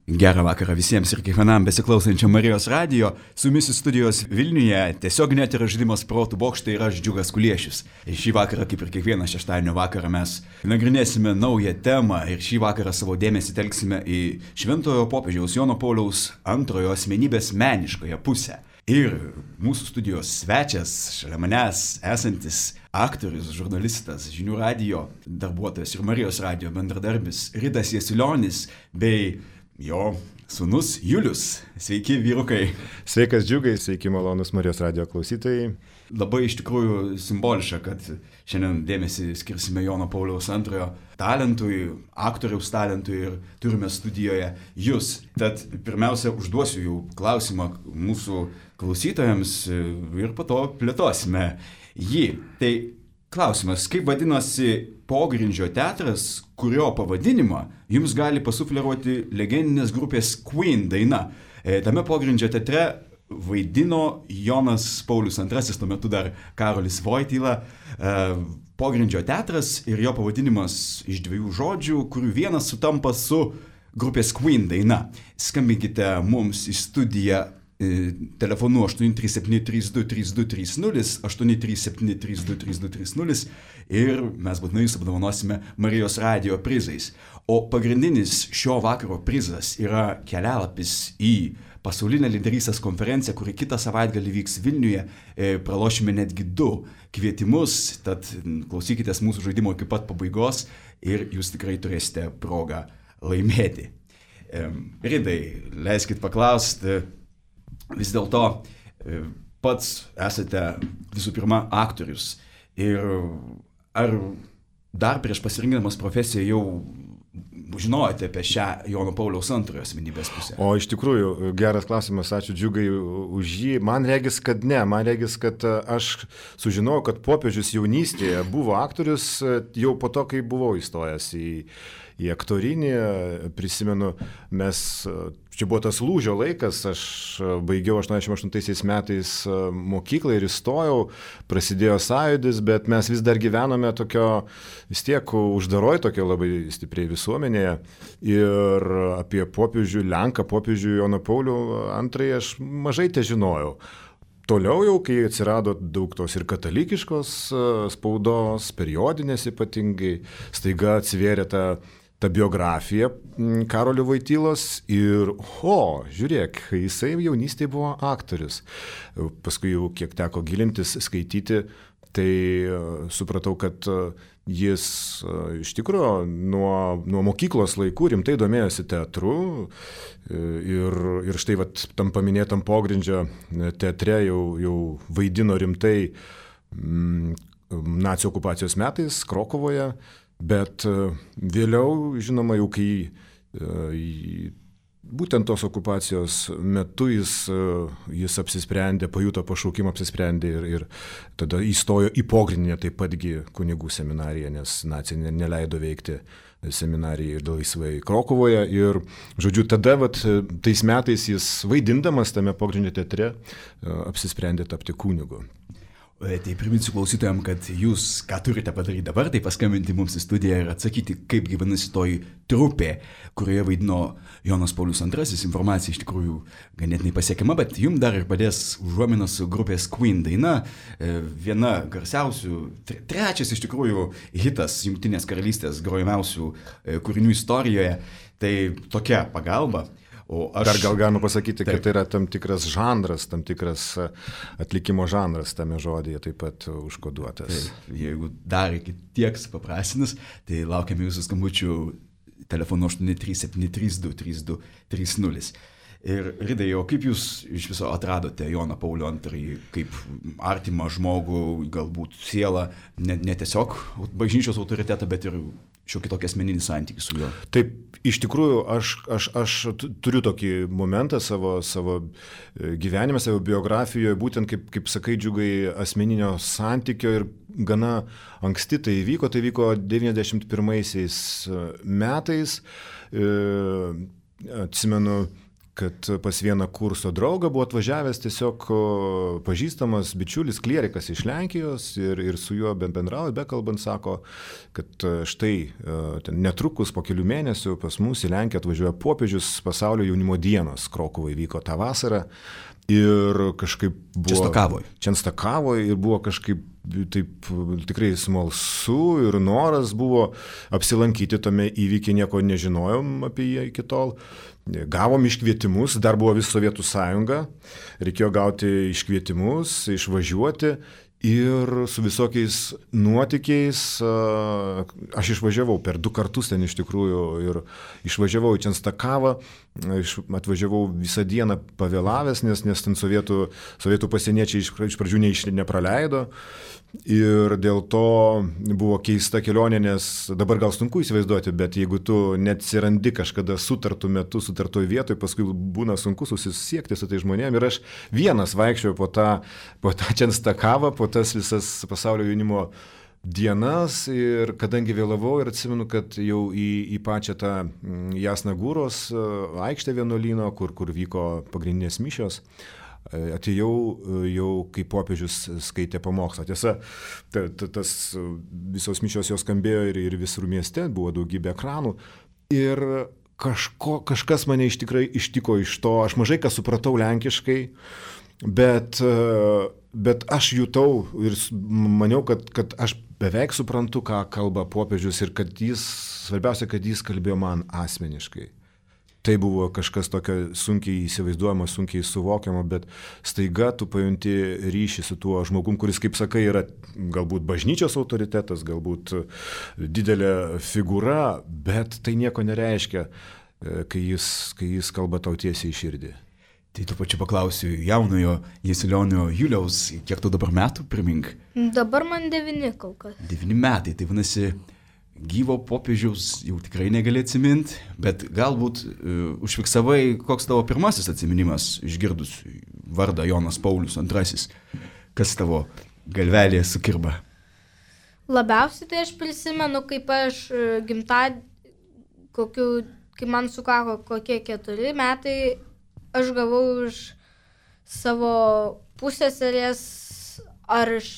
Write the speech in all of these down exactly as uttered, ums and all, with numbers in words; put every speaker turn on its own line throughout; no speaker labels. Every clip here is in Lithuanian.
Gerą vakarą visiems ir kiekvienam besiklausančiam Marijos radijo. Su jumis studijos Vilniuje tiesiog net yra žaidimas protų bokštai ir aš Džiugas Kuliešius. Šį vakarą, kaip ir kiekvieną šeštadienio vakarą, mes nagrinėsime naują temą ir šį vakarą savo dėmesį telksime į Šventojo popiežiaus Jono Pauliaus antrojo asmenybės meniškąją pusę. Ir mūsų studijos svečias, šalia manęs esantis aktorius, žurnalistas, Žinių radijo darbuotojas ir Marijos radijo bendradarbis Ridas Jasilionis bei jo sūnus Julius. Sveiki, vyrukai.
Sveikas, Džiugai, sveiki, malonus Marijos radijo klausytojai.
Labai iš tikrųjų simboliška, kad šiandien dėmesį skirsime Jono Pauliaus antrojo talentui, aktoriaus talentui ir turime studijoje jūs. Tad pirmiausia, užduosiu jų klausimą mūsų klausytojams ir po to plėtosime jį. Tai klausimas, kaip vadinosi pogrindžio teatras, kurio pavadinimą jums gali pasufleruoti legendinės grupės Queen daina. E, tame pogrindžio teatre vaidino Jonas Paulius antrasis, tuo metu dar Karolis Voityla. E, pogrindžio teatras ir jo pavadinimas iš dviejų žodžių, kurių vienas sutampa su grupės Queen daina. Skambinkite mums į studiją telefonu aštuoni trys septyni trys du trys du trys nulis, aštuoni trys septyni trys du trys du trys nulis ir mes būtinai jūs apdovanosime Marijos radijo prizais. O pagrindinis šio vakaro prizas yra kelialapis į pasaulinę lyderystės konferenciją, kuri kitą savaitgalį vyks Vilniuje. E, pralošime netgi du kvietimus, tad klausykitės mūsų žaidimo iki pat pabaigos ir jūs tikrai turėsite progą laimėti. E, Ridai, leiskit paklausti. Vis dėlto pats esate visų pirma aktorius ir ar dar prieš pasirinkdamas profesiją jau žinojote apie šią Jono Pauliaus antrojo asmenybės pusę?
O iš tikrųjų, geras klausimas, ačiū Džiugai už jį. Man regis, kad ne, man regis, kad aš sužinojau, kad popiežius jaunystėje buvo aktorius jau po to, kai buvau įstojęs į, į aktorinį. Prisimenu, mes, čia buvo tas lūžio laikas, aš baigiau aštuoniasdešimt aštuntaisiais metais mokyklą ir įstojau, prasidėjo sąjūdis, bet mes vis dar gyvename tokio, vis tiek uždaroj tokio labai stipriai visuomenėje. Ir apie popiežių, Lenką popiežių Joną Paulių antrąjį aš mažai te žinojau. Toliau jau, kai atsirado daug tos ir katalikiškos spaudos, periodinės ypatingai, staiga atsivėrė ta ta biografija Karolio Voitylos ir, o, žiūrėk, jisai jaunystėje buvo aktorius. Paskui jau kiek teko gilintis, skaityti, tai supratau, kad jis iš tikrųjų nuo, nuo mokyklos laikų rimtai domėjosi teatru ir, ir štai vat, tam paminėtam pogrindžio teatre jau, jau vaidino rimtai m, nacių okupacijos metais Krokuvoje. Bet vėliau, žinoma, jau kai būtent tos okupacijos metu jis, jis apsisprendė, pajuto pašaukimą, apsisprendė ir, ir tada įstojo į pogrindinę taip patgi kunigų seminariją, nes nacija neleido veikti seminarijai laisvai Krokuvoje. Ir, žodžiu, tada vat, tais metais jis vaidindamas tame pogrindinio teatre apsisprendė tapti kunigu.
Tai priminsiu klausytojams, kad jūs ką turite padaryti dabar, tai paskambinti mums į studiją ir atsakyti, kaip gyvenasi toji trupė, kurioje vaidino Jonas Paulius antrasis. Informacija iš tikrųjų ganėtinai pasiekiama, bet jums dar ir padės užuomina su grupės Queen daina. Viena garsiausių, trečias iš tikrųjų hitas Jungtinės karalystės grojamiausių kūrinių istorijoje. Tai tokia pagalba. O aš...
Dar gal galima pasakyti, taip, kad tai yra tam tikras žanras, tam tikras atlikimo žanras tame žodyje taip pat užkoduotas.
Taip, jeigu dar iki tiek supaprastinus, tai laukiame jūsų skambučių telefonu aštuoni trys septyni trys du trys du trys nulis. Ir Ridai, o kaip jūs iš viso atradote Joną Paulių antrąjį kaip artimą žmogų, galbūt sielą, ne, ne tiesiog bažnyčios autoritetą, bet ir šiokį tokį asmeninį santykį su juo?
Taip, iš tikrųjų, aš, aš, aš turiu tokį momentą savo, savo gyvenime, savo biografijoje, būtent kaip, kaip sakai, Džiugai, asmeninio santykio ir gana anksti tai įvyko, tai vyko devyniasdešimt pirmaisiais metais. E, atsimenu, kad pas vieną kurso draugą buvo atvažiavęs tiesiog pažįstamas bičiulis klierikas iš Lenkijos ir, ir su juo bendrauja, bekalbant sako, kad štai ten netrukus po kelių mėnesių pas mus į Lenkiją atvažiuoja popiežius pasaulio jaunimo dienos, Krokuvai vyko tą vasarą ir kažkaip buvo...
Čenstakavoj.
Čenstakavoj ir buvo kažkaip taip tikrai smalsu ir noras buvo apsilankyti tame įvykiai, nieko nežinojom apie jį iki tol. Gavom iškvietimus, dar buvo vis Sovietų sąjunga, reikėjo gauti iškvietimus, išvažiuoti ir su visokiais nuotykiais aš išvažiavau per du kartus ten iš tikrųjų ir išvažiavau į Čenstakavą, atvažiavau visą dieną pavėlavęs, nes, nes ten sovietų, sovietų pasieniečiai iš, iš pradžių ne, nepraleido. Ir dėl to buvo keista kelionė, nes dabar gal sunku įsivaizduoti, bet jeigu tu neatsirandi kažkada sutartų metu, sutartoj vietoj, paskui būna sunku susisiekti su tai žmonėm. Ir aš vienas vaikščiau po tą, po tą Čenstakavą, po tas visas pasaulio jaunimo dienas ir kadangi vėlavau ir atsimenu, kad jau į, į pačią tą Jasnagūros aikštę vienuolyno, kur, kur vyko pagrindinės mišios, atėjau jau, kai popiežius skaitė pamokslą. Tiesa, ta, ta, tas visos mišios jos skambėjo ir, ir visur mieste, buvo daugybė ekranų. Ir kažko, kažkas mane iš tikrai ištiko iš to. Aš mažai ką supratau lenkiškai, bet, bet aš jutau ir maniau, kad, kad aš beveik suprantu, ką kalba popiežius ir kad jis, svarbiausia, kad jis kalbėjo man asmeniškai. Tai buvo kažkas tokio sunkiai įsivaizduojama, sunkiai suvokiama, bet staiga tu pajunti ryšį su tuo žmogum, kuris, kaip sakai, yra galbūt bažnyčios autoritetas, galbūt didelė figūra, bet tai nieko nereiškia, kai jis, kai jis kalba tau tiesiai į širdį.
Tai tu pačiu paklausiu jaunojo Jasilionio Juliaus, kiek tu dabar metų, primink?
Dabar man devyni kol kas.
Devyni metai, tai vadinasi, gyvo popiežiaus jau tikrai negali atsiminti, bet galbūt uh, užfiksavai, koks tavo pirmasis atsiminimas išgirdus vardą Jonas Paulius antrasis. Kas tavo galvelėje sukirba?
Labiausiai tai aš prisimenu, kaip aš gimtadienį, kokiu, kai man sukako kokie keturi metai, aš gavau iš savo pusseserės, ar iš,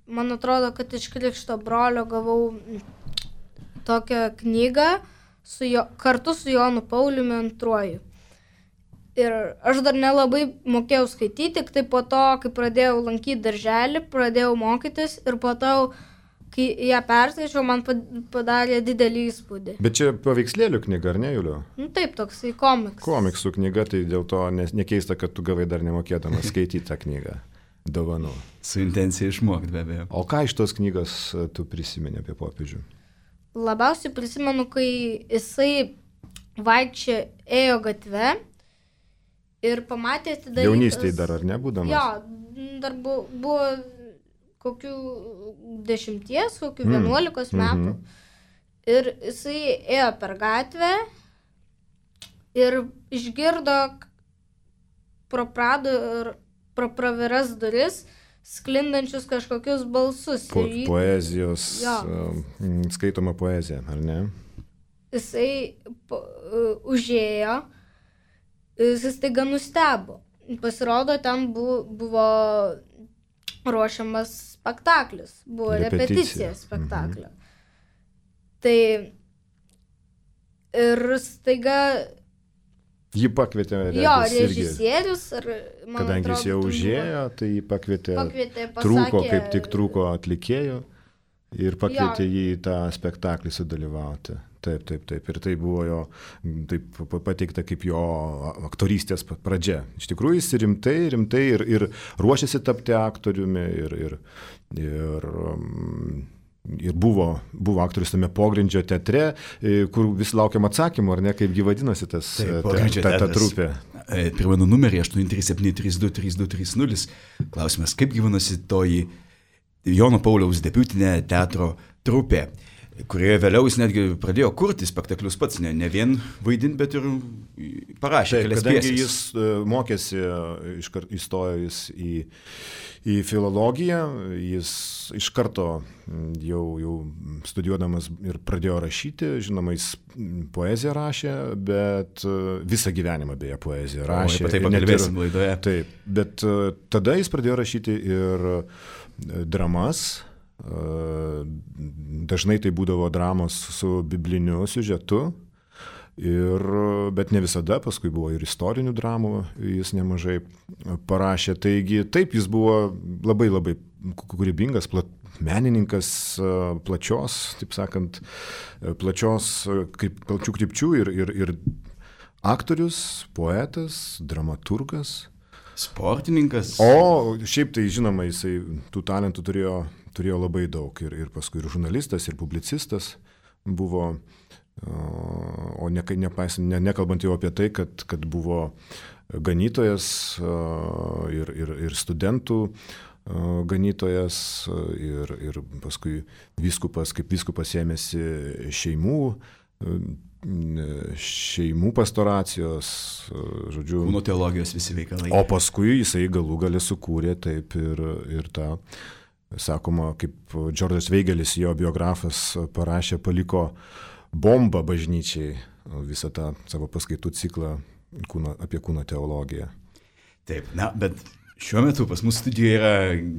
man atrodo, kad iš krikšto brolio gavau tokią knygą su jo, kartu su Jonu Pauliumi antruoju. Ir aš dar nelabai mokėjau skaityti, tik tai po to, kai pradėjau lankyti darželį, pradėjau mokytis ir po to, kai ją perskaičiau, man padarė didelį įspūdį.
Bet čia paveikslėlių knyga, ar ne, Juliau?
Nu taip, toksai komiks.
Komiksų knyga, tai dėl to nekeista, kad tu gavai dar nemokėdamas skaityti tą knygą. Dovanų.
Su intencija išmokti, be abejo.
O ką iš tos knygos tu prisimeni apie popiežių?
Labiausiai prisimenu, kai jisai vaikščia ėjo gatve ir pamatė atidarytas...
Jaunystėje dar, ar ne, būdamas?
Jo, dar buvo, buvo kokių dešimties, kokių mm. vienuolikos metų. Mm-hmm. Ir jisai ėjo per gatvę ir išgirdo pro prado ir pro praviras duris sklindančius kažkokius balsus.
Po,
jį...
Poezijos,
jo.
Skaitoma poezija, ar ne?
Jisai po, uh, užėjo, jis staiga nustebo. Pasirodo, ten buvo, buvo ruošiamas spektaklis, buvo repeticija, repeticija spektaklio. Mhm. Tai ir staiga...
Jį pakvietė regis,
jo, režisierius. Ar,
kadangi
atrodo,
jis jau užėjo, tai jį pakvietė,
pakvietė pasakė,
trūko, kaip tik trūko atlikėjų ir pakvietė
jo.
jį į tą spektaklį sudalyvauti. Taip, taip, taip. Ir tai buvo jo, taip pateikta kaip jo aktorystės pradžia. Iš tikrųjų jis rimtai, rimtai ir, ir ruošiasi tapti aktoriumi ir... ir, ir um, Ir buvo, buvo aktorius tame pogrindžio teatre, kur vis laukiam atsakymų, ar ne, kaipgi vadinosi tas
Taip,
ta, ta, ta trupė.
Primenu numerį aštuoni trys septyni trys du trys du trys nulis. Klausimas, kaip gyvenosi toji Jono Pauliaus debiutinė teatro trupė, kurioje vėliau jis netgi pradėjo kurti spektaklius pats, ne, ne vien vaidinti, bet ir parašė
Taip,
kelias
kadangi
pjeses.
jis mokėsi, iškart įstojo jis į, į filologiją, jis iš karto jau, jau studijuodamas ir pradėjo rašyti, žinoma, jis poeziją rašė, bet visą gyvenimą beje poeziją rašė.
O, taip pakalbėsim laidoje.
Taip, bet tada jis pradėjo rašyti ir dramas. Dažnai tai būdavo dramos su bibliniu siužetu. Ir, bet ne visada, paskui buvo ir istorinių dramų, jis nemažai parašė. Taigi taip, jis buvo labai labai kūrybingas, plat, menininkas plačios, taip sakant, plačios, kaip plačių krypčių ir, ir, ir aktorius, poetas, dramaturgas.
Sportininkas.
O šiaip tai žinoma, jisai tų talentų turėjo, turėjo labai daug. Ir, ir paskui ir žurnalistas, ir publicistas buvo. O ne, nepaisant, ne, nekalbant jau apie tai, kad, kad buvo ganytojas ir, ir, ir studentų ganytojas ir, ir paskui vyskupas, kaip vyskupas ėmėsi šeimų, šeimų pastoracijos, žodžiu.
Kūno teologijos visi veikalai.
O paskui jisai galų galę sukūrė taip ir, ir tą, sakoma, kaip Džordžas Veigelis, jo biografas, parašė, paliko bomba bažnyčiai, visą tą savo paskaitų ciklą kūno, apie kūno teologiją.
Taip, na, bet šiuo metu pas mus studijoje yra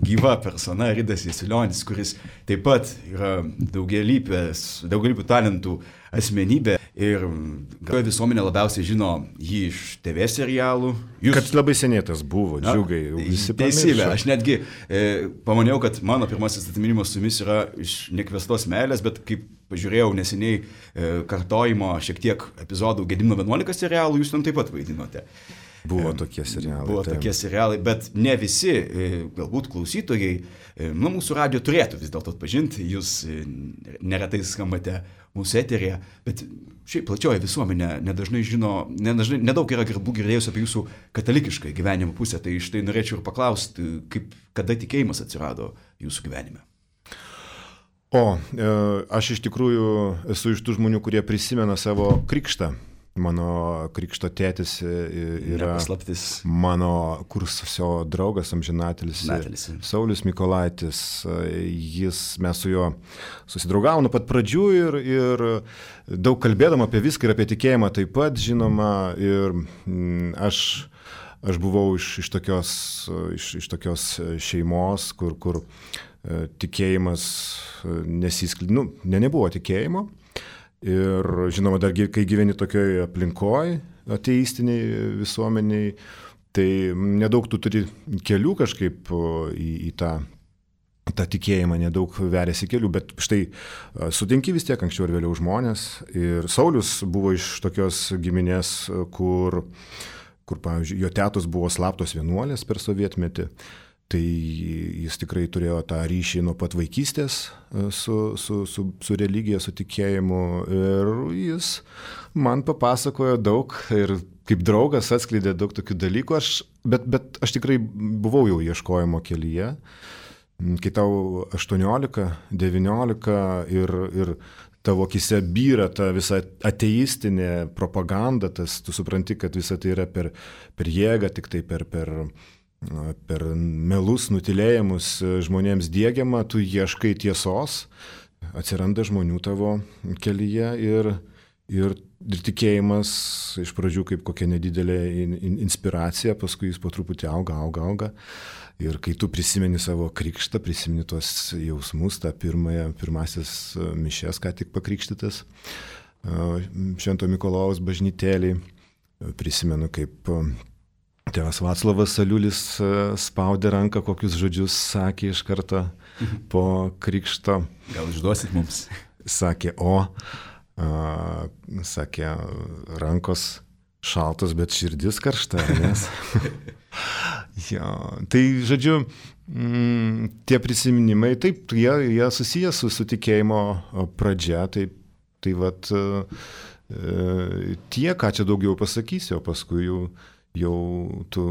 gyva persona Ridas Jasilionis, kuris taip pat yra daugialypės, daugialypių talentų asmenybė ir gal visuomenė labiausiai žino jį iš T V serialų.
Jūs... Kad labai seniai tas buvo, džiugai, visi pamiršo.
Teisybė, aš netgi e, pamaniau, kad mano pirmasis atminimas su jumis yra iš Nekviestos meilės, bet kaip pažiūrėjau neseniai e, kartojimo šiek tiek epizodų Gedimino vienuolika serialų, jūs ten taip pat vaidinote.
Buvo tokie serialai.
Buvo taip. tokie serialai, bet ne visi, galbūt klausytojai, nu, mūsų radijo turėtų vis dėlto atpažinti, jūs neretai skambate mūsų eterėje, bet šiaip plačioji visuomenė nedažnai žino, nedažnai, nedaug yra garbų girdėjus apie jūsų katalikišką gyvenimo pusę, tai štai norėčiau ir paklausti, kaip, kada tikėjimas atsirado jūsų gyvenime.
O, aš iš tikrųjų esu iš tų žmonių, kurie prisimena savo krikštą. Mano krikšto tėtis yra
Nepaslaptis.
Mano kursio draugas amžinatelis Saulius Mykolaitis. Jis, mes su juo susidraugavom nuo pat pradžių ir, ir daug kalbėdam apie viską ir apie tikėjimą taip pat, žinoma. Ir aš, aš buvau iš, iš, tokios, iš, iš tokios šeimos, kur, kur tikėjimas nesiskleidė, nu, ne, nebuvo tikėjimo. Ir žinoma, dar kai gyveni tokioje aplinkoje, ateistiniai visuomeniai, tai nedaug tu turi kelių kažkaip į, į tą, tą tikėjimą, nedaug veriasi kelių, bet štai sutinki vis tiek anksčiau ir vėliau žmonės. Ir Saulius buvo iš tokios giminės, kur, kur pavyzdžiui, jo tetos buvo slaptos vienuolės per sovietmetį. Tai jis tikrai turėjo tą ryšį nuo pat vaikystės su, su, su, su religija, su tikėjimu ir jis man papasakojo daug ir kaip draugas atskleidė daug tokių dalykų, aš, bet, bet aš tikrai buvau jau ieškojimo kelyje, kai tau aštuoniolika, devyniolika ir, ir tavo akyse byra ta visa ateistinė propaganda, tas, tu supranti, kad visa tai yra per, per jėgą, tik tai per... per per melus, nutilėjimus žmonėms diegiama, tu ieškai tiesos, atsiranda žmonių tavo kelyje ir, ir, ir tikėjimas iš pradžių kaip kokia nedidelė in, in, inspiracija, paskui jis po truputį auga, auga, auga. Ir kai tu prisimeni savo krikštą, prisimeni tuos jausmus, tą pirmąją, pirmasis mišes, ką tik pakrikštytas, Švento Mikalojaus bažnytėlėj, prisimenu kaip tėvas Vaclovas Saliulis spaudė ranką, kokius žodžius sakė iš karto po krikšto.
Gal išduosit mums?
Sakė, o, a, sakė, rankos šaltos, bet širdis karšta, nes. Jo, tai, žodžiu, m, tie prisiminimai, taip, jie, jie susiję su, su tikėjimo pradžia, taip, tai vat e, tie, ką čia daugiau pasakysiu, o paskui jau jau tu,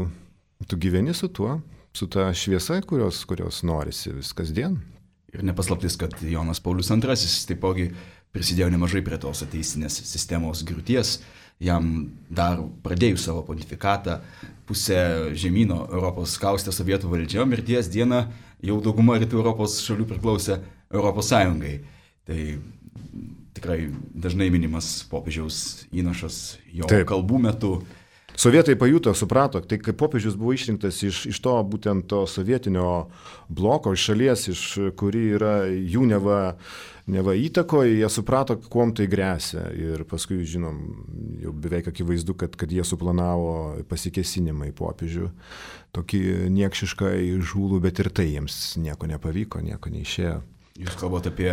tu gyveni su tuo, su ta šviesa, kurios, kurios norisi vis kasdien.
Ir nepaslaptis, kad Jonas Paulius antrasis taipogi prisidėjo nemažai prie tos ateistinės sistemos griūties. jam dar pradėjus savo pontifikatą, pusę žemyno Europos kaustė sovietų valdžia, mirties dieną jau dauguma rytų Europos šalių priklausė Europos Sąjungai. Tai tikrai dažnai minimas popiežiaus įnašas jo Taip. kalbų metu.
Sovietai pajuto, suprato, tai kai popiežius buvo išrinktas iš, iš to būtent to sovietinio bloko, iš šalies, iš kuri yra jų neva, neva įtakoje, jie suprato, kuom tai grėsia. Ir paskui, žinom, jau beveik akivaizdu, kad, kad jie suplanavo pasikėsinimą į popiežių. Tokį niekšišką įžūlų, bet ir tai jiems nieko nepavyko, nieko neišėjo.
Jūs kalbate apie...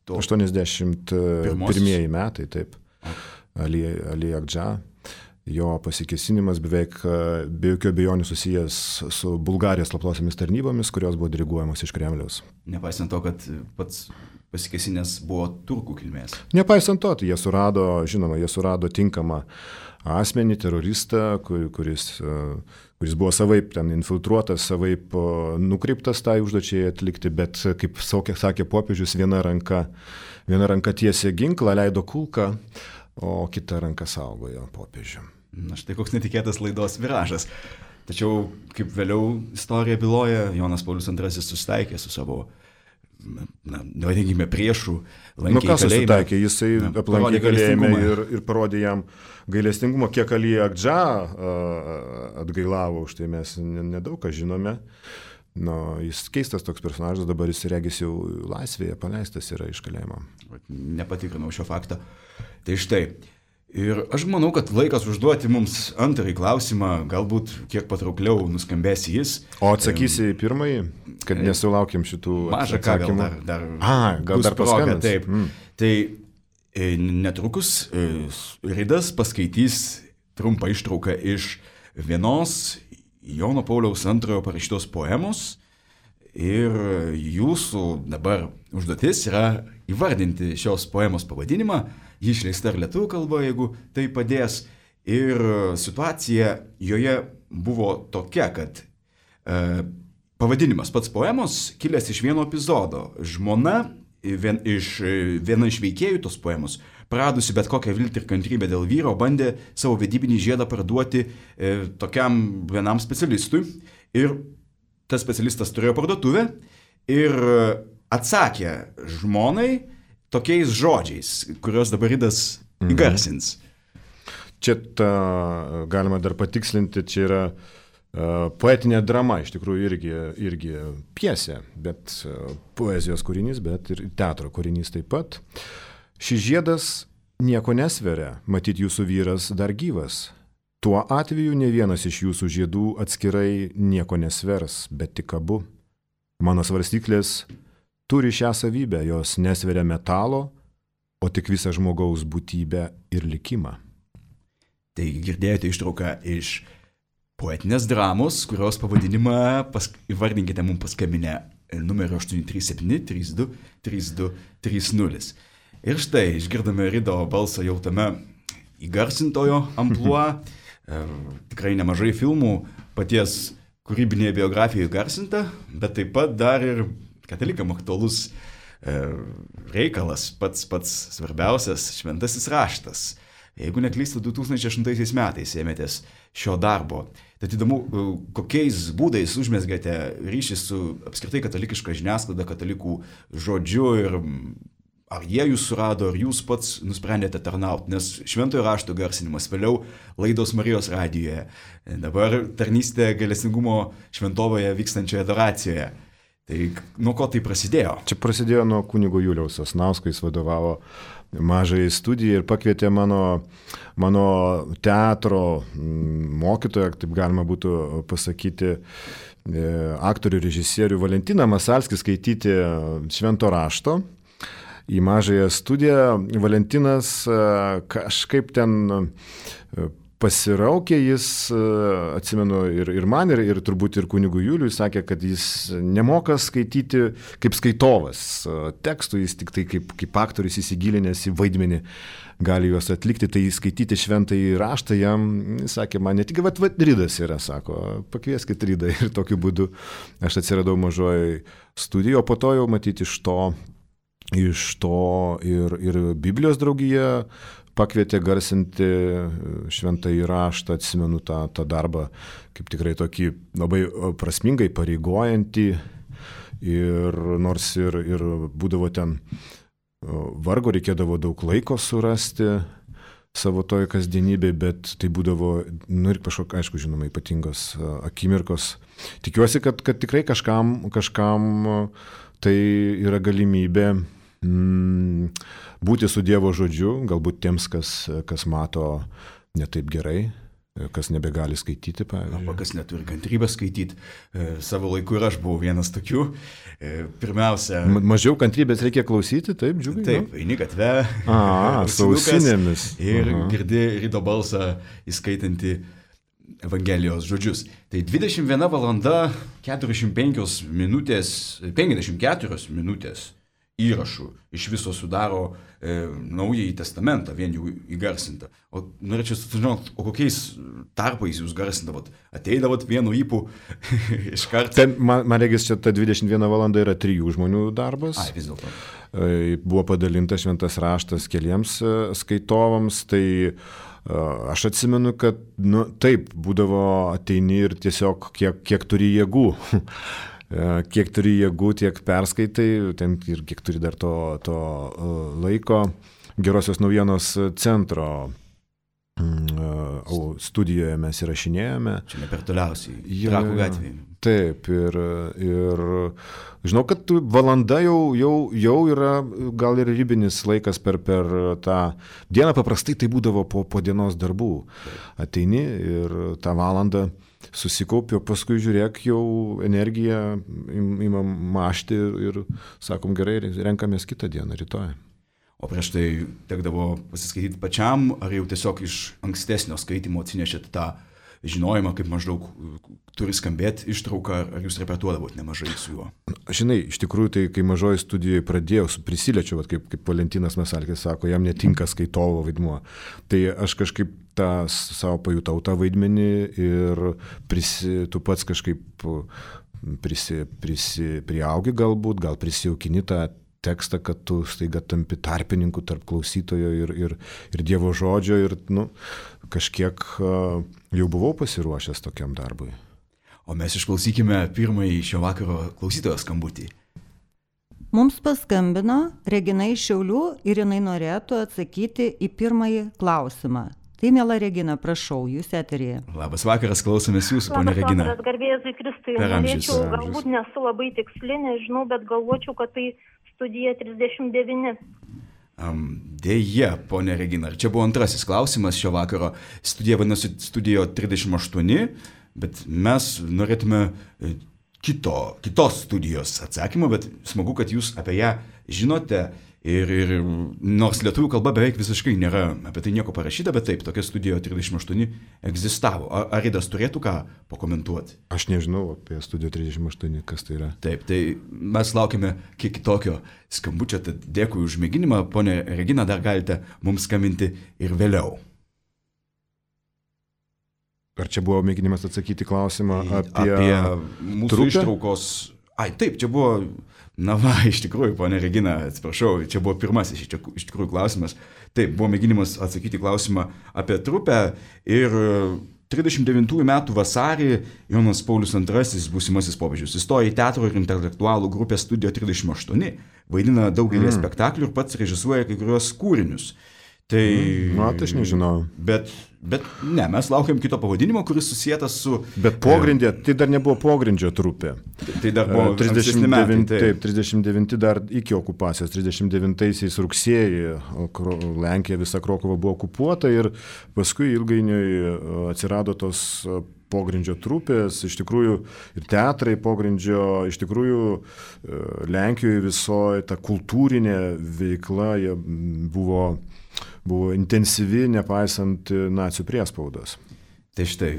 To...
aštuoniasdešimt pirmieji metai, taip. Ali, Ali Agdža. Jo pasikėsinimas beveik be jokių abejonių susijęs su Bulgarijos slaptosiomis tarnybomis, kurios buvo diriguojamos iš Kremliaus.
Nepaisant to, kad pats pasikėsinęs buvo turkų kilmės.
Nepaisant to, tai jie surado, žinoma, jie surado tinkamą asmenį, teroristą, kur, kuris, kuris buvo savaip ten infiltruotas, savaip nukreiptas tai užduočiai atlikti, bet, kaip sakė popiežius, viena ranka, viena ranka tiesė ginklą, leido kulką, o kita ranka saugojo popiežių.
Na štai koks netikėtas laidos viražas. Tačiau, kaip vėliau istorija byloja, Jonas Paulius antrasis susitaikė su savo, na, nevadinkime, priešų, lankė
nu, kas
kalėjime.
Susitaikė, jisai na, aplankė kalėjime ir, ir parodė jam gailestingumą, kiek Ali Agdža atgailavo, už tai mes nedaug ką žinome. Nu, jis keistas toks personažas, dabar jis regis jau laisvėje, paleistas yra iš kalėjimo.
Nepatikrinau šio fakto. Tai štai. Ir aš manau, kad laikas užduoti mums antrąjį klausimą, galbūt kiek patraukliau nuskambės jis.
O atsakysi į pirmąjį, kad nesulaukiam šitų
mažą ką, gal dar, dar,
A, gal dar paskambins.
Taip. Mm. Tai netrukus Ridas paskaitys trumpą ištrauką iš vienos Jono Pauliaus antrojo parašytos poemos ir jūsų dabar užduotis yra įvardinti šios poemos pavadinimą, ji išleista ir lietuvių kalba, jeigu tai padės. Ir situacija joje buvo tokia, kad e, pavadinimas pats poemos kilęs iš vieno epizodo. Žmona, vien, iš, viena iš veikėjų tos poemos, praradusi bet kokią viltį ir kantrybę dėl vyro, bandė savo vedybinį žiedą parduoti e, tokiam vienam specialistui. Ir tas specialistas turėjo parduotuvę ir atsakė žmonai tokiais žodžiais, kuriuos dabar Ridas įgarsins.
Čia ta, galima dar patikslinti, čia yra uh, poetinė drama, iš tikrųjų irgi, irgi pjesė, bet uh, poezijos kūrinys, bet ir teatro kūrinys taip pat. Šis žiedas nieko nesveria, matyt jūsų vyras dar gyvas. Tuo atveju ne vienas iš jūsų žiedų atskirai nieko nesvers, bet tik abu. Mano svarstyklės turi šią savybę, jos nesveria metalo, o tik visą žmogaus būtybę ir likimą.
Taigi girdėjote ištrauką iš poetinės dramos, kurios pavadinimą pas, įvardinkite mums paskambinę numeriu aštuoni trys septyni trys du trys du trys nulis. Ir štai išgirdome Rido balsą jau tame įgarsintojo amplua. Tikrai nemažai filmų paties kūrybinėje biografijoje įgarsinta, bet taip pat dar ir katalikam aktualus e, reikalas, pats pats svarbiausias šventasis raštas. Jeigu neklystu, du tūkstančiai aštuntaisiais metais ėmėtės šio darbo. Tad įdomu, kokiais būdais užmesgate ryšį su apskritai katalikiška žiniasklaida, katalikų žodžiu ir ar jie jūs surado, ar jūs pats nusprendėte tarnauti, nes šventojo rašto garsinimas, vėliau laidos Marijos radijoje, dabar tarnystė gailestingumo šventovoje vykstančioje adoracijoje. Tai nuo ko tai prasidėjo?
Čia prasidėjo nuo kunigo Juliaus Sasnausko, jis vadovavo mažai studijai ir pakvietė mano, mano teatro mokytoją, taip galima būtų pasakyti, aktorių režisierių Valentiną Masalskį skaityti švento rašto. Į mažąją studiją Valentinas kažkaip ten pasiraukė, jis, atsimenu, ir, ir man, ir, ir turbūt ir kunigui Juliui sakė, kad jis nemoka skaityti kaip skaitovas tekstų, jis tik tai kaip, kaip aktorius įsigilinęs į vaidmenį gali juos atlikti, tai skaityti šventąjį raštą jam, jis sakė, man ne tik, vat, vat Ridas yra, sako, pakvieskit Ridą ir tokiu būdu aš atsiradau mažoje studijoje, o po to jau matyti iš to Iš to ir, ir Biblijos draugija pakvietė garsinti šventąjį raštą, atsimenu tą, tą darbą kaip tikrai tokį labai prasmingai pareigojantį ir nors ir, ir būdavo ten vargo, reikėdavo daug laiko surasti savo toj kasdienybėj, bet tai būdavo, nu ir kažkokia, aišku, žinoma, ypatingos akimirkos. Tikiuosi, kad, kad tikrai kažkam, kažkam tai yra galimybė mm, būti su Dievo žodžiu, galbūt tiems, kas, kas mato ne taip gerai, kas nebegali skaityti, pavyzdžiui.
Arba kas neturi kantrybės skaityti. E, savo laiku ir aš buvau vienas tokių. E, pirmiausia...
Ma- mažiau kantrybės reikia klausyti, taip, džiugai?
Taip, eini gatve.
A, su ausinėmis.
Ir
Aha.
girdi ryto balsą įskaitantį Evangelijos žodžius. Tai dvidešimt viena valanda keturiasdešimt penkios minutės, penkiasdešimt keturios minutės įrašų iš viso sudaro e, Naująjį testamentą, vien jau įgarsintą. O norėčiau sužinoti, o kokiais tarpais jūs garsindavot? Ateidavot vienu įpū iš karto?
Ten, man, man regis, čia ta dvidešimt viena valanda yra trijų žmonių darbas.
Ai, vis dėlto.
E, Buvo padalintas šventas raštas keliems e, skaitovams, tai e, aš atsimenu, kad, nu, taip, būdavo ateini ir tiesiog kiek, kiek turi jėgų. Kiek turi jėgų, tiek perskaitai, ten ir kiek turi dar to, to laiko. Gerosios naujienos centro studijoje mes įrašinėjome.
Čia ne per toliausiai,
Ja,
Trakų gatvėje.
Taip, ir, ir žinau, kad valanda jau, jau, jau yra gal ir ribinis laikas per, per tą dieną, paprastai tai būdavo po, po dienos darbų. Ateini ir tą valandą susikaupi, o paskui žiūrėk, jau energiją imam mašti ir sakom, gerai, renkamės kitą dieną, rytoj.
O prieš tai tekdavo pasiskaityti pačiam, ar jau tiesiog iš ankstesnio skaitimo atsinešėt tą žinojimą, kaip maždaug turi skambėti ištrauką, ar jūs repetuodavot nemažai su juo?
Žinai, iš tikrųjų, tai kai mažoji studijoje pradėjau, prisiliečiau, vat, kaip, kaip Valentinas Masalkis sako, jam netinka skaitovo vaidmuo. Tai aš kažkaip tą savo pajutau tą vaidmenį ir prisi, tu pats kažkaip prisi, prisi, priaugi galbūt, gal prisijaukini tą tekstą, kad tu staiga tampi tarpininku tarp klausytojo ir, ir, ir Dievo žodžio ir nu, kažkiek uh, jau buvau pasiruošęs tokiam darbui.
O mes išklausykime pirmąjį šio vakaro klausytojo skambutį.
Mums paskambino Regina iš Šiaulių ir jinai norėtų atsakyti į pirmąjį klausimą. Tai, miela Regina, prašau, jūs eteryje.
Labas vakaras, klausomės jūsų, ponia Regina.
Labas vakaras, garbėjai Kristui.
Per amžius.
Norėčiau, galbūt nesu labai tiksli, nežinau, bet galvočiau, kad tai studija trisdešimt devyni.
Um, Deja, ponia Regina, čia buvo antrasis klausimas šio vakaro. Studija vadinasi studijo trisdešimt aštuoni, bet mes norėtume kito, kitos studijos atsakymą, bet smagu, kad jūs apie ją žinote. Ir, ir nors lietuvių kalba beveik visiškai nėra apie tai nieko parašyta, bet taip, tokia studija trisdešimt aštuoni egzistavo. Ar Aridas turėtų ką pakomentuoti?
Aš nežinau apie studiją trisdešimt aštuoni, kas tai yra.
Taip, tai mes laukime kiek kitokio skambučio, tad dėkui už mėginimą. Pone Regina, dar galite mums skambinti ir vėliau.
Ar čia buvo mėginimas atsakyti klausimą apie,
apie mūsų
trupę?
Ištraukos... Ai, taip, čia buvo... Na va, iš tikrųjų, ponė Regina, atsiprašau, čia buvo pirmasis iš tikrųjų klausimas. Taip, buvo mėginimas atsakyti klausimą apie trupę ir trisdešimt devintųjų metų vasarį Jonas Paulius antrasis, būsimasis popiežius, įstojo į teatro ir intelektualų grupę Studio trisdešimt aštuoni, vaidina daugelį mm. spektaklių ir pats režisuoja kai kurios kūrinius. Tai...
Mm, na, tai aš nežinau.
Bet, bet ne, mes laukiam kito pavadinimo, kuris susijęs su...
Bet pogrindė, tai dar nebuvo pogrindžio trupė.
Tai dar buvo
trisdešimt devyni,
metai.
taip, trisdešimt devinti dar iki okupacijos, trisdešimt devintaisiais rugsėjį Lenkija visa Krokova buvo okupuota ir paskui ilgainiui atsirado tos pogrindžio trupės, iš tikrųjų ir teatrai pogrindžio, iš tikrųjų Lenkijoje visoje ta kultūrinė veikla buvo... buvo intensyvi, nepaisant nacių priespaudos.
Tai štai,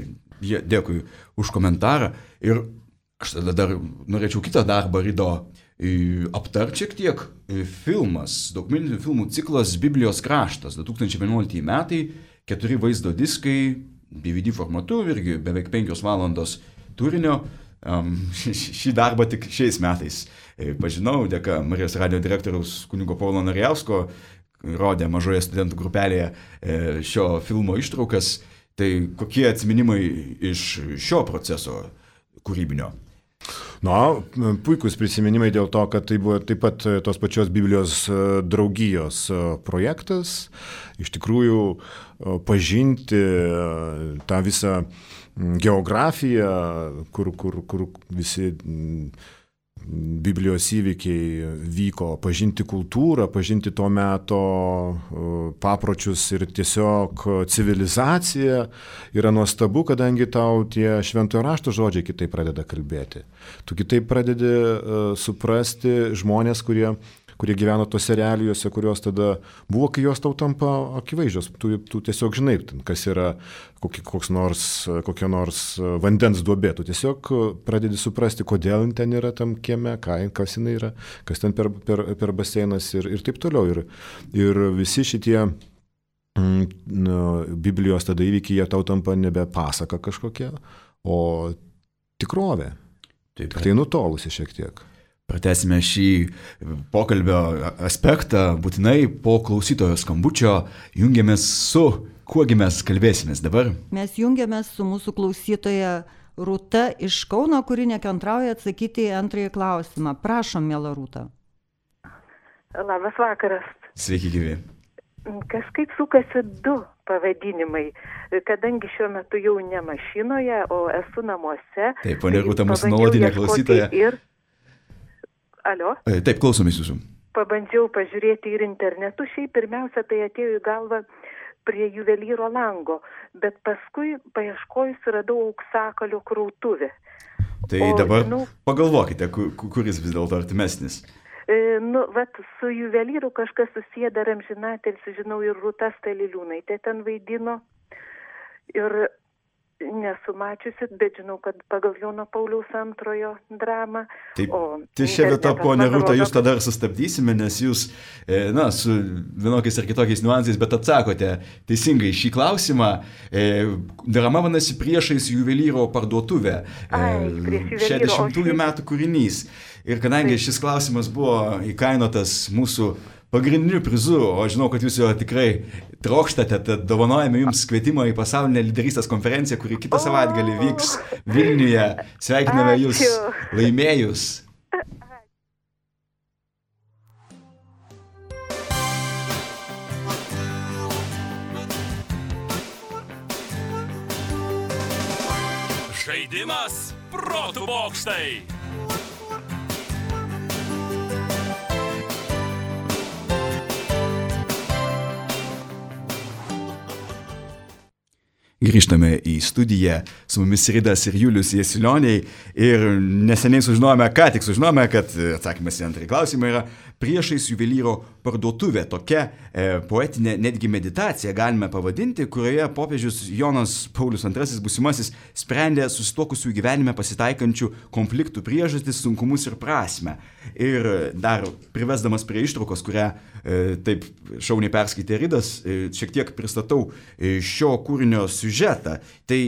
dėkui už komentarą. Ir aš tada dar norėčiau kitą darbą Rido aptarti šiek tiek. Filmas, dokumentinių filmų ciklas Biblijos kraštas, du tūkstančiai vienuoliktieji metai, keturi vaizdo diskai, D V D formatu, irgi beveik penkios valandos turinio. Um, šį darbą tik šiais metais pažinau, dėka Marijos radijo direktoriaus kunigo Paulo Narijausko, rodė mažoje studentų grupelėje šio filmo ištraukas. Tai kokie atsiminimai iš šio proceso kūrybinio?
Na, puikus prisiminimai dėl to, kad tai buvo taip pat tos pačios Biblijos draugijos projektas. Iš tikrųjų, pažinti tą visą geografiją, kur, kur, kur visi Biblijos įvykiai vyko, pažinti kultūrą, pažinti to meto papročius ir tiesiog civilizaciją yra nuostabu, kadangi tau tie šventojo rašto žodžiai kitaip pradeda kalbėti. Tu kitaip pradedi uh, suprasti žmonės, kurie kurie gyveno tose realijose, kurios tada buvo, kai jos tau tampa akivaizdžios. Tu, tu tiesiog žinai, kas yra koks nors, kokia nors vandens duobė. Tu tiesiog pradedi suprasti, kodėl ten yra tam kieme, kas jinai yra, kas ten per, per, per baseinas ir, ir taip toliau. Ir, ir visi šitie mm, nu, Biblijos tada įvykiai, jie tau tampa nebe pasaka kažkokia, o tikrovė. Taip, tai nutolusi šiek tiek.
Pratęsime šį pokalbio aspektą būtinai po klausytojo skambučio. Jungiamės su, kuogi mes kalbėsimės dabar?
Mes jungiamės su mūsų klausytoja Rūta iš Kauno, kuri nekantrauja atsakyti į antrąjį klausimą. Prašom, miela Rūta.
Labas vakaras.
Sveiki, gyvi.
Kažkaip sukasi du pavadinimai, kadangi šiuo metu jau ne mašinoje, o esu namuose.
Taip, ponia Rūta, mūsų nuolatinė klausytoja.
Ir Alio?
Taip, klausomės jūsų.
Pabandžiau pažiūrėti ir internetu, šiaip pirmiausia tai atėjo į galvą prie juvelyro lango, bet paskui paieškojus radau auksakalio krautuvę.
Tai o, dabar nu, pagalvokite, kuris vis dėlto artimesnis.
E, nu, vat su juvelyru kažkas susiję dar amžinatilsį, žinau, ir Rūta Staliliūnaitė ten vaidino. Ir nesu mačiusi, bet žinau, kad pagal Jono Pauliaus antrojo dramą.
Taip, tai šią vietą, ponia Rūta, jūs tada ir sustabdysime, nes jūs, na, su vienokiais ir kitokiais niuansais, bet atsakote teisingai šį klausimą. Drama vadinasi Priešais juvelyro parduotuvę. šešiasdešimtųjų metų kūrinys. Ir kadangi šis klausimas buvo įkainotas mūsų pagrindiniu prizu, o žinau, kad jūs jo tikrai trokštate, tad dovanojame jums kvietimą į pasaulinę lyderystės konferenciją, kuri kitą savaitgalį vyks Vilniuje. Sveikiname jūs laimėjus.
Žaidimas protų bokštai.
Grįžtame į studiją, su mumis Ridas ir Julius Jasilioniai ir neseniai sužinojome, ką tik sužinojome, kad atsakymas į antrąjį klausimą yra Priešais juvelyro parduotuvė. Tokia e, poetinė netgi meditacija galime pavadinti, kurioje popiežius Jonas Paulius antrasis būsimasis sprendė susituokusių gyvenime pasitaikančių konfliktų priežastis, sunkumus ir prasmę. Ir dar privesdamas prie ištraukos, kurią e, taip šauniai perskaitė Ridas, e, šiek tiek pristatau e, šio kūrinio siužetą. Tai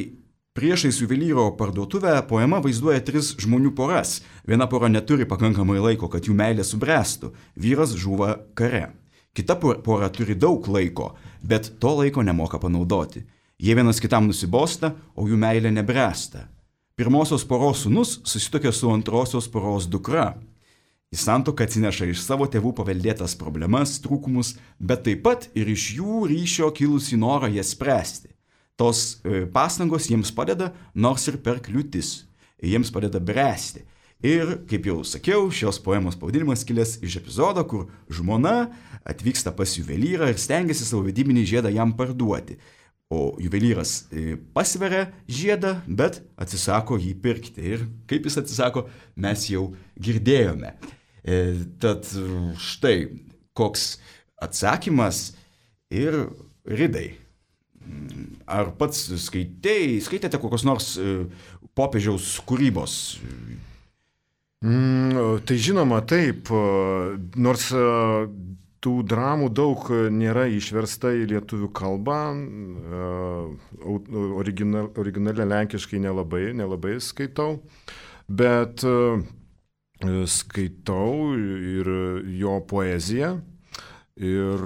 Priešais juvelyro parduotuvę poema vaizduoja tris žmonių poras. Viena pora neturi pakankamai laiko, kad jų meilė subręstų. Vyras žūva kare. Kita pora turi daug laiko, bet to laiko nemoka panaudoti. Jie vienas kitam nusibosta, o jų meilė nebręsta. Pirmosios poros sūnus susituokė su antrosios poros dukra. Į santuoką atsineša iš savo tėvų paveldėtas problemas, trūkumus, bet taip pat ir iš jų ryšio kilusį norą jas spręsti. Tos pastangos jiems padeda, nors ir per kliūtis. Jiems padeda bręsti. Ir, kaip jau sakiau, šios poemos pavadinimas kilęs iš epizodo, kur žmona atvyksta pas juvelyrą ir stengiasi savo vedybinį žiedą jam parduoti. O juvelyras pasveria žiedą, bet atsisako jį pirkti. Ir kaip jis atsisako, mes jau girdėjome. E, tad štai koks atsakymas ir Ridai. Ar pats skaitei, skaitėte kokios nors popiežiaus kūrybos?
Mm, tai žinoma, taip. Nors tų dramų daug nėra išversta į lietuvių kalbą. Original, originaliai lenkiškai nelabai, nelabai skaitau. Bet skaitau ir jo poeziją. Ir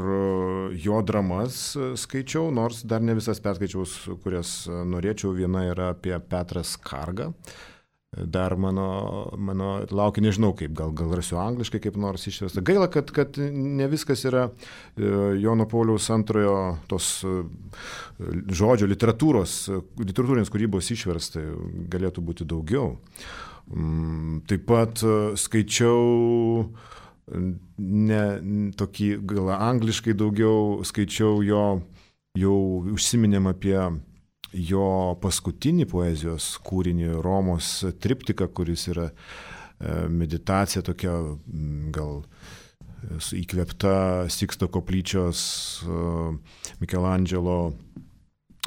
jo dramas skaičiau, nors dar ne visas perskaičiau, kurias norėčiau. Viena yra apie Petrą Skargą. Dar mano, mano laukia, nežinau kaip, gal, gal rasiu angliškai kaip nors išversta. Gaila, kad, kad ne viskas yra Jono Pauliaus antrojo tos žodžio literatūros, literatūrinės kūrybos išversta, galėtų būti daugiau. Taip pat skaičiau ne tokį, gal angliškai daugiau skaičiau jo, jau užsiminėm apie jo paskutinį poezijos kūrinį Romos triptiką, kuris yra meditacija tokia, gal įkvėpta Siksto koplyčios Mikelandželo,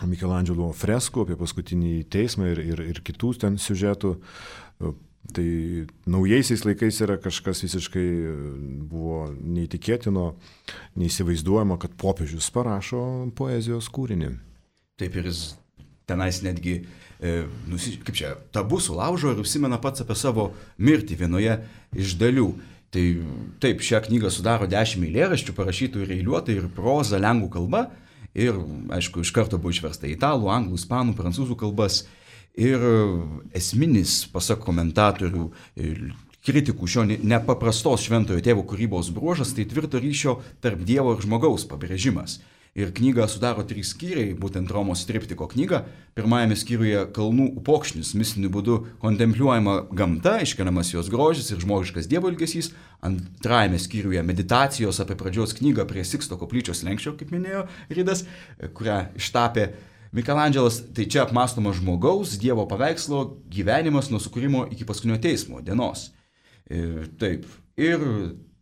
Mikelandželo freskų apie paskutinį teismą ir, ir, ir kitų ten siužetų. Tai naujaisiais laikais yra kažkas visiškai buvo neįtikėtino, neįsivaizduojama, kad popiežius parašo poezijos kūrinį.
Taip ir jis tenais netgi, e, nusi, kaip čia, tabu sulaužo ir užsimena pats apie savo mirtį vienoje iš dalių. Tai taip, šią knygą sudaro dešimt eilėraščių, parašytų ir eiliuotai, ir proza lenkų kalba, ir, aišku, iš karto buvo išversta į italų, anglų, ispanų, prancūzų kalbas. Ir esminis, pasak komentatorių, kritikų šio nepaprastos šventojo tėvo kūrybos bruožas, tai tvirto ryšio tarp Dievo ir žmogaus pabrėžimas. Ir knygą sudaro trys skyriai, būtent Romos triptiko knyga. Pirmajame skyriuje kalnų upokšnis, mistiniu būdu kontempliuojama gamta, iškeliamas jos grožis ir žmogiškas Dievo ilgesys. Antrajame skyriuje meditacijos apie pradžios knygą prie Siksto koplyčios slenksčio, kaip minėjo Ridas, kurią ištapė Mikelandželas. Tai čia apmąstoma žmogaus, Dievo paveikslo gyvenimas nuo sukūrimo iki paskutinio teismo dienos. Ir taip. Ir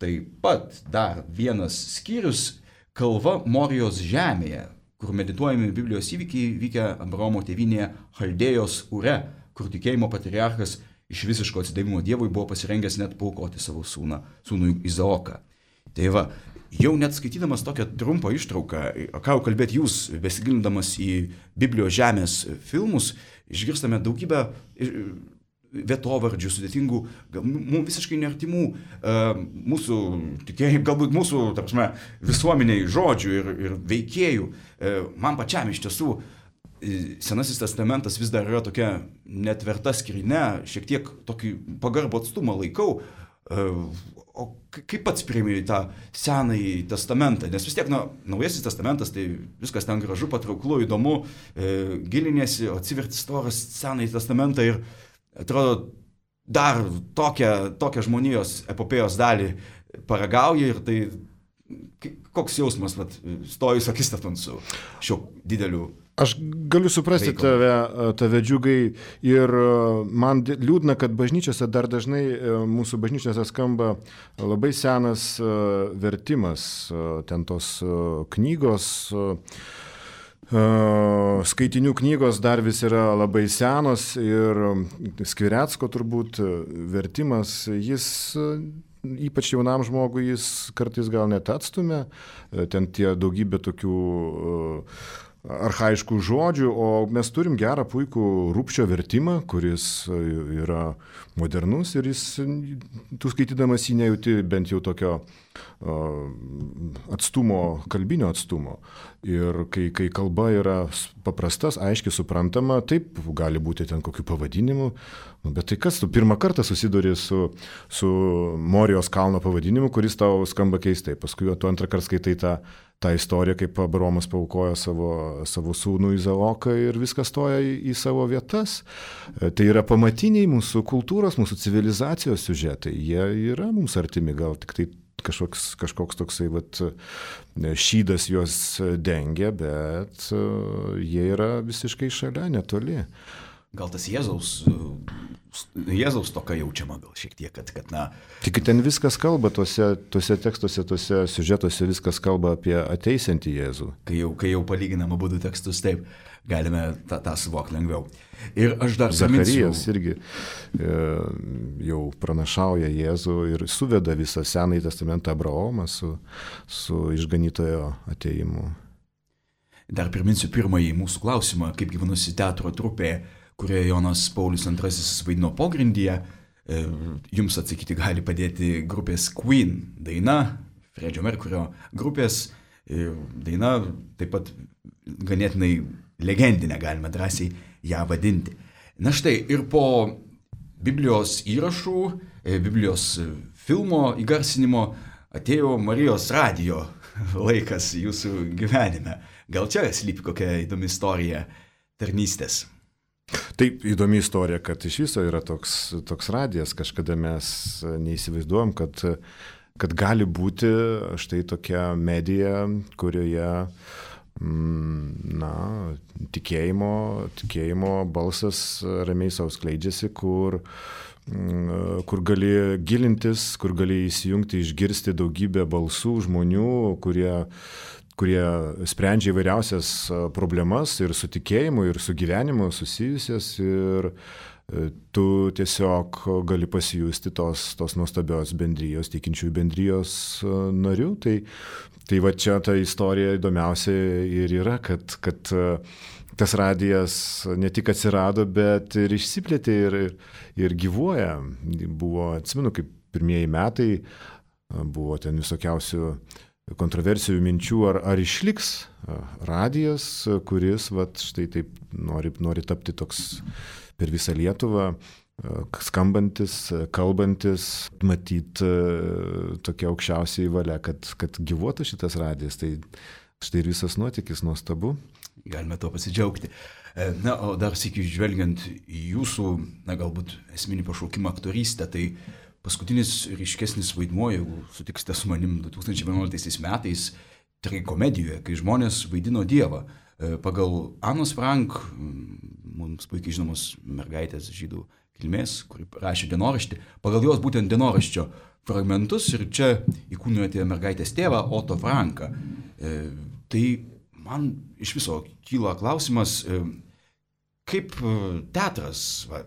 taip pat dar vienas skyrius kalva Morijos žemėje, kur medituojami Biblijos įvykiai vykę Abraomo tėvynėje Chaldėjos Ure, kur tikėjimo patriarchas iš visiško atsidavimo Dievui buvo pasirengęs net paaukoti savo sūną, sūnų Izaoką. Tai va, jau net skaitydamas tokią trumpą ištrauką, ką jau kalbėt jūs, besigilindamas į Biblijos žemės filmus, išgirstame daugybę vietovardžių, sudėtingų, mums visiškai neartimų mūsų tikėjimų, galbūt mūsų, ta prasme, visuomeniai žodžių ir, ir veikėjų. Man pačiam iš tiesų Senasis testamentas vis dar yra tokia netverta skrynia, šiek tiek tokį pagarbų atstumą laikau. O kaip pats priimi tą Senąjį testamentą? Nes vis tiek, na, Naujasis testamentas, tai viskas ten gražu, patrauklu, įdomu, e, giliniesi, atsiverti storas Senąjį testamentą ir atrodo dar tokią, tokią žmonijos epopėjos dalį paragauja ir tai koks jausmas, vat, stojus akistaton su šiuo dideliu.
Aš galiu suprasti tave, tave džiugai ir man liūdna, kad bažnyčiose dar dažnai mūsų bažnyčiose skamba labai senas vertimas, ten tos knygos, skaitinių knygos dar vis yra labai senos ir Skvirecko turbūt vertimas, jis ypač jaunam žmogui jis kartais gal net atstumia, ten tie daugybė tokių archaiškų žodžių, o mes turim gerą puikų Rupšio vertimą, kuris yra modernus ir jis, tu skaitydamas jį nejauti bent jau tokio atstumo, kalbinio atstumo. Ir kai, kai kalba yra paprastas, aiškiai suprantama, taip gali būti ten kokių pavadinimų, bet tai kas, tu pirmą kartą susiduri su, su Morijos kalno pavadinimu, kuris tau skamba keistai, paskui tu antrą kartą skaitai tą tą istoriją, kaip Abraomas paaukojo savo, savo sūnų Izaoką ir viskas stoja į, į savo vietas. Tai yra pamatiniai mūsų kultūros, mūsų civilizacijos siužetai. Jie yra mums artimi, gal tik tai kažkoks, kažkoks toksai vat, šydas juos dengia, bet jie yra visiškai šalia, netoli.
Gal tas Jėzaus, Jėzaus toka jaučiama gal šiek tiek, kad, kad na...
Tik ten viskas kalba, tuose, tuose tekstuose, tuose siužetuose viskas kalba apie ateisiantį Jėzų.
Kai jau, kai jau palyginam abudu tekstus, taip, galime tą, tą suvokti lengviau. Ir aš dar
Zacharijas irgi e, jau pranašauja Jėzų ir suveda visą Senąjį testamentą Abraomą su, su išganytojo ateimu.
Dar priminsiu pirmąjį mūsų klausimą, kaip gyvenusi teatro trupė, kurioje Jonas Paulius antrasis vaidino pogrindyje. Jums atsakyti gali padėti grupės Queen daina Fredžio Merkurio grupės. Daina taip pat ganėtinai legendinė, galime drąsiai ją vadinti. Na štai, ir po Biblijos įrašų, Biblijos filmo įgarsinimo atėjo Marijos radijo laikas jūsų gyvenime. Gal čia slypi kokia įdomi istorija tarnystės?
Taip, įdomi istorija, kad iš viso yra toks, toks radijas, kažkada mes neįsivaizduojam, kad, kad gali būti štai tokia medija, kurioje mm, na, tikėjimo, tikėjimo balsas ramiai savo skleidžiasi, kur, mm, kur gali gilintis, kur gali įsijungti, išgirsti daugybę balsų žmonių, kurie kurie sprendžia įvairiausias problemas ir su tikėjimu, ir su gyvenimu susijusias, ir tu tiesiog gali pasijusti tos, tos nuostabios bendrijos, tikinčiųjų bendrijos narių. Tai, tai va čia ta istorija įdomiausia ir yra, kad, kad tas radijas ne tik atsirado, bet ir išsiplėtė ir, ir gyvuoja. Buvo, atsimenu, kaip pirmieji metai, buvo ten visokiausių kontroversijų minčių, ar, ar išliks radijas, kuris vat, štai taip nori, nori tapti toks per visą Lietuvą, skambantis, kalbantis, matyt tokia aukščiausiai valia, kad, kad gyvuotų šitas radijas. Tai štai ir visas nuotykis nuostabu.
Galime to pasidžiaugti. Na, o dar sykį žvelgiant į jūsų, na, galbūt esminį pašaukimą aktorystę, tai paskutinis ryškesnis vaidmuo, jeigu sutiksite su manim du tūkstančiai vienuoliktaisiais metais, tragikomedijoje, kai žmonės vaidino Dievą. Pagal Anos Frank, mums puikiai žinomos mergaitės žydų kilmės, kuri rašė dienoraštį, pagal jos būtent dienoraščio fragmentus ir čia įkūnijote mergaitės tėvą Otto Franką. Tai man iš viso kyla klausimas, kaip teatras, va,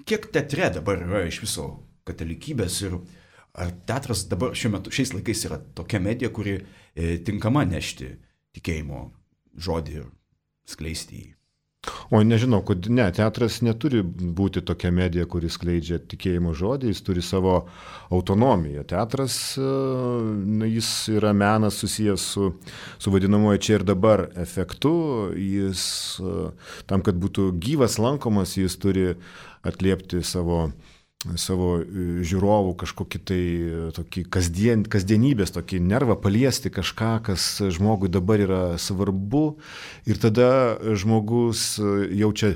kiek teatre dabar yra iš viso katalikybės ir ar teatras dabar šiuo metu, šiais laikais yra tokia medija, kuri e, tinkama nešti tikėjimo žodį ir skleisti jį.
O nežinau, kad ne, teatras neturi būti tokia medija, kuri skleidžia tikėjimo žodį, jis turi savo autonomiją. Teatras, jis yra menas susijęs su, su vadinamoju čia ir dabar efektu, jis tam, kad būtų gyvas lankomas, jis turi atliepti savo savo žiūrovų kažkokį tai tokį kasdien, kasdienybės, tokį nervą paliesti kažką, kas žmogui dabar yra svarbu ir tada žmogus jaučia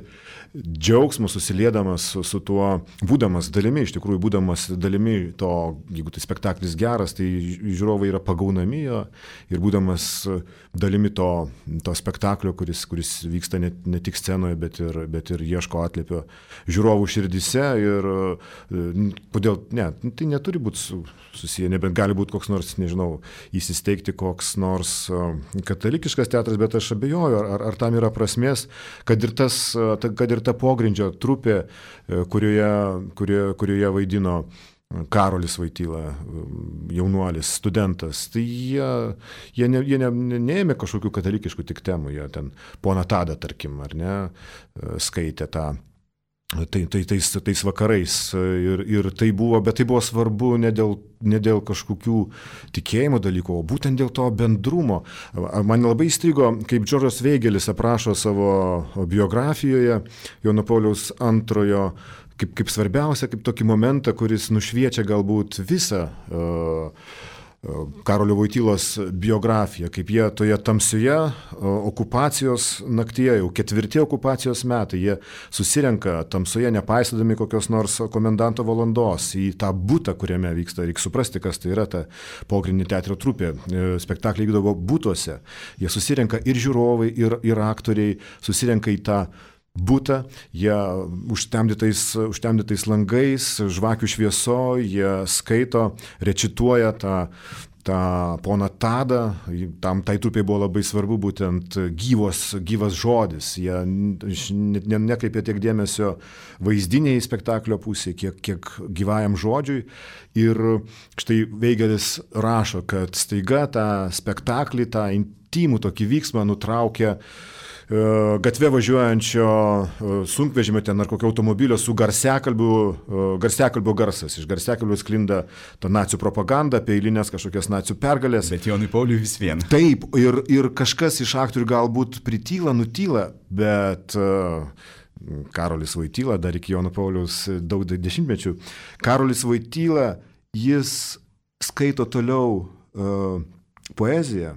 džiaugsmą susiliedamas su, su tuo, būdamas dalimi, iš tikrųjų būdamas dalimi to, jeigu tai spektaklis geras, tai žiūrovai yra pagaunami jo ir būdamas dalimi to, to spektaklio, kuris, kuris vyksta ne, ne tik scenoje, bet ir, bet ir ieško atliepio žiūrovų širdise ir kodėl, ne, tai neturi būti susiję, nebent gali būti koks nors, nežinau, įsisteigti koks nors katalikiškas teatras, bet aš abejoju, ar, ar tam yra prasmės, kad ir, tas, kad ir ta pogrindžio trupė, kurioje, kurioje, kurioje vaidino Karolis Vaityla, jaunuolis, studentas, tai jie, jie, ne, jie ne, neėmė kažkokių katalikiškų tik temų, jie ten poną Tadą, tarkim, ar ne, skaitė tą. Tai, tai, tais, tais vakarais ir, ir tai buvo, bet tai buvo svarbu ne dėl, ne dėl kažkokių tikėjimo dalykų, o būtent dėl to bendrumo. Man labai įstrigo, kaip Džordžas Veigelis aprašo savo biografijoje Jono Pauliaus antrojo, kaip, kaip svarbiausia, kaip tokį momentą, kuris nušviečia galbūt visą uh, Karolio Vojtylos biografiją, kaip jie toje tamsioje okupacijos naktyje, jau ketvirti okupacijos metai, jie susirenka tamsoje, nepaisydami kokios nors komendanto valandos į tą butą, kuriame vyksta, reikia suprasti, kas tai yra ta pogrindinė teatro trupė, spektakliai vykdavo butuose, jie susirenka ir žiūrovai, ir, ir aktoriai, susirenka į tą butą, jie užtemdytais, užtemdytais langais, žvakių švieso, jie skaito, rečituoja tą, tą poną Tadą, tam tai trupiai buvo labai svarbu būtent gyvos, gyvas žodis, jie ne, ne, nekreipė tiek dėmesio vaizdiniai spektaklio pusėje, kiek, kiek gyvajam žodžiui ir štai Veigelis rašo, kad staiga tą spektaklį, tą intimų tokį vyksmą nutraukia gatve važiuojančio sunkvežimio ten ar kokio automobilio su garsiakalbiu, garsiakalbio garsas. Iš garsiakalbio sklinda ta nacių propaganda, apie eilinės kažkokias nacių pergalės.
Bet Jonui Pauliui vis vien.
Taip, ir, ir kažkas iš aktorių galbūt prityla, nutyla, bet Karolis Voityla, dar iki Jono Pauliaus daug dešimtmečių, Karolis Voityla, jis skaito toliau uh, poeziją,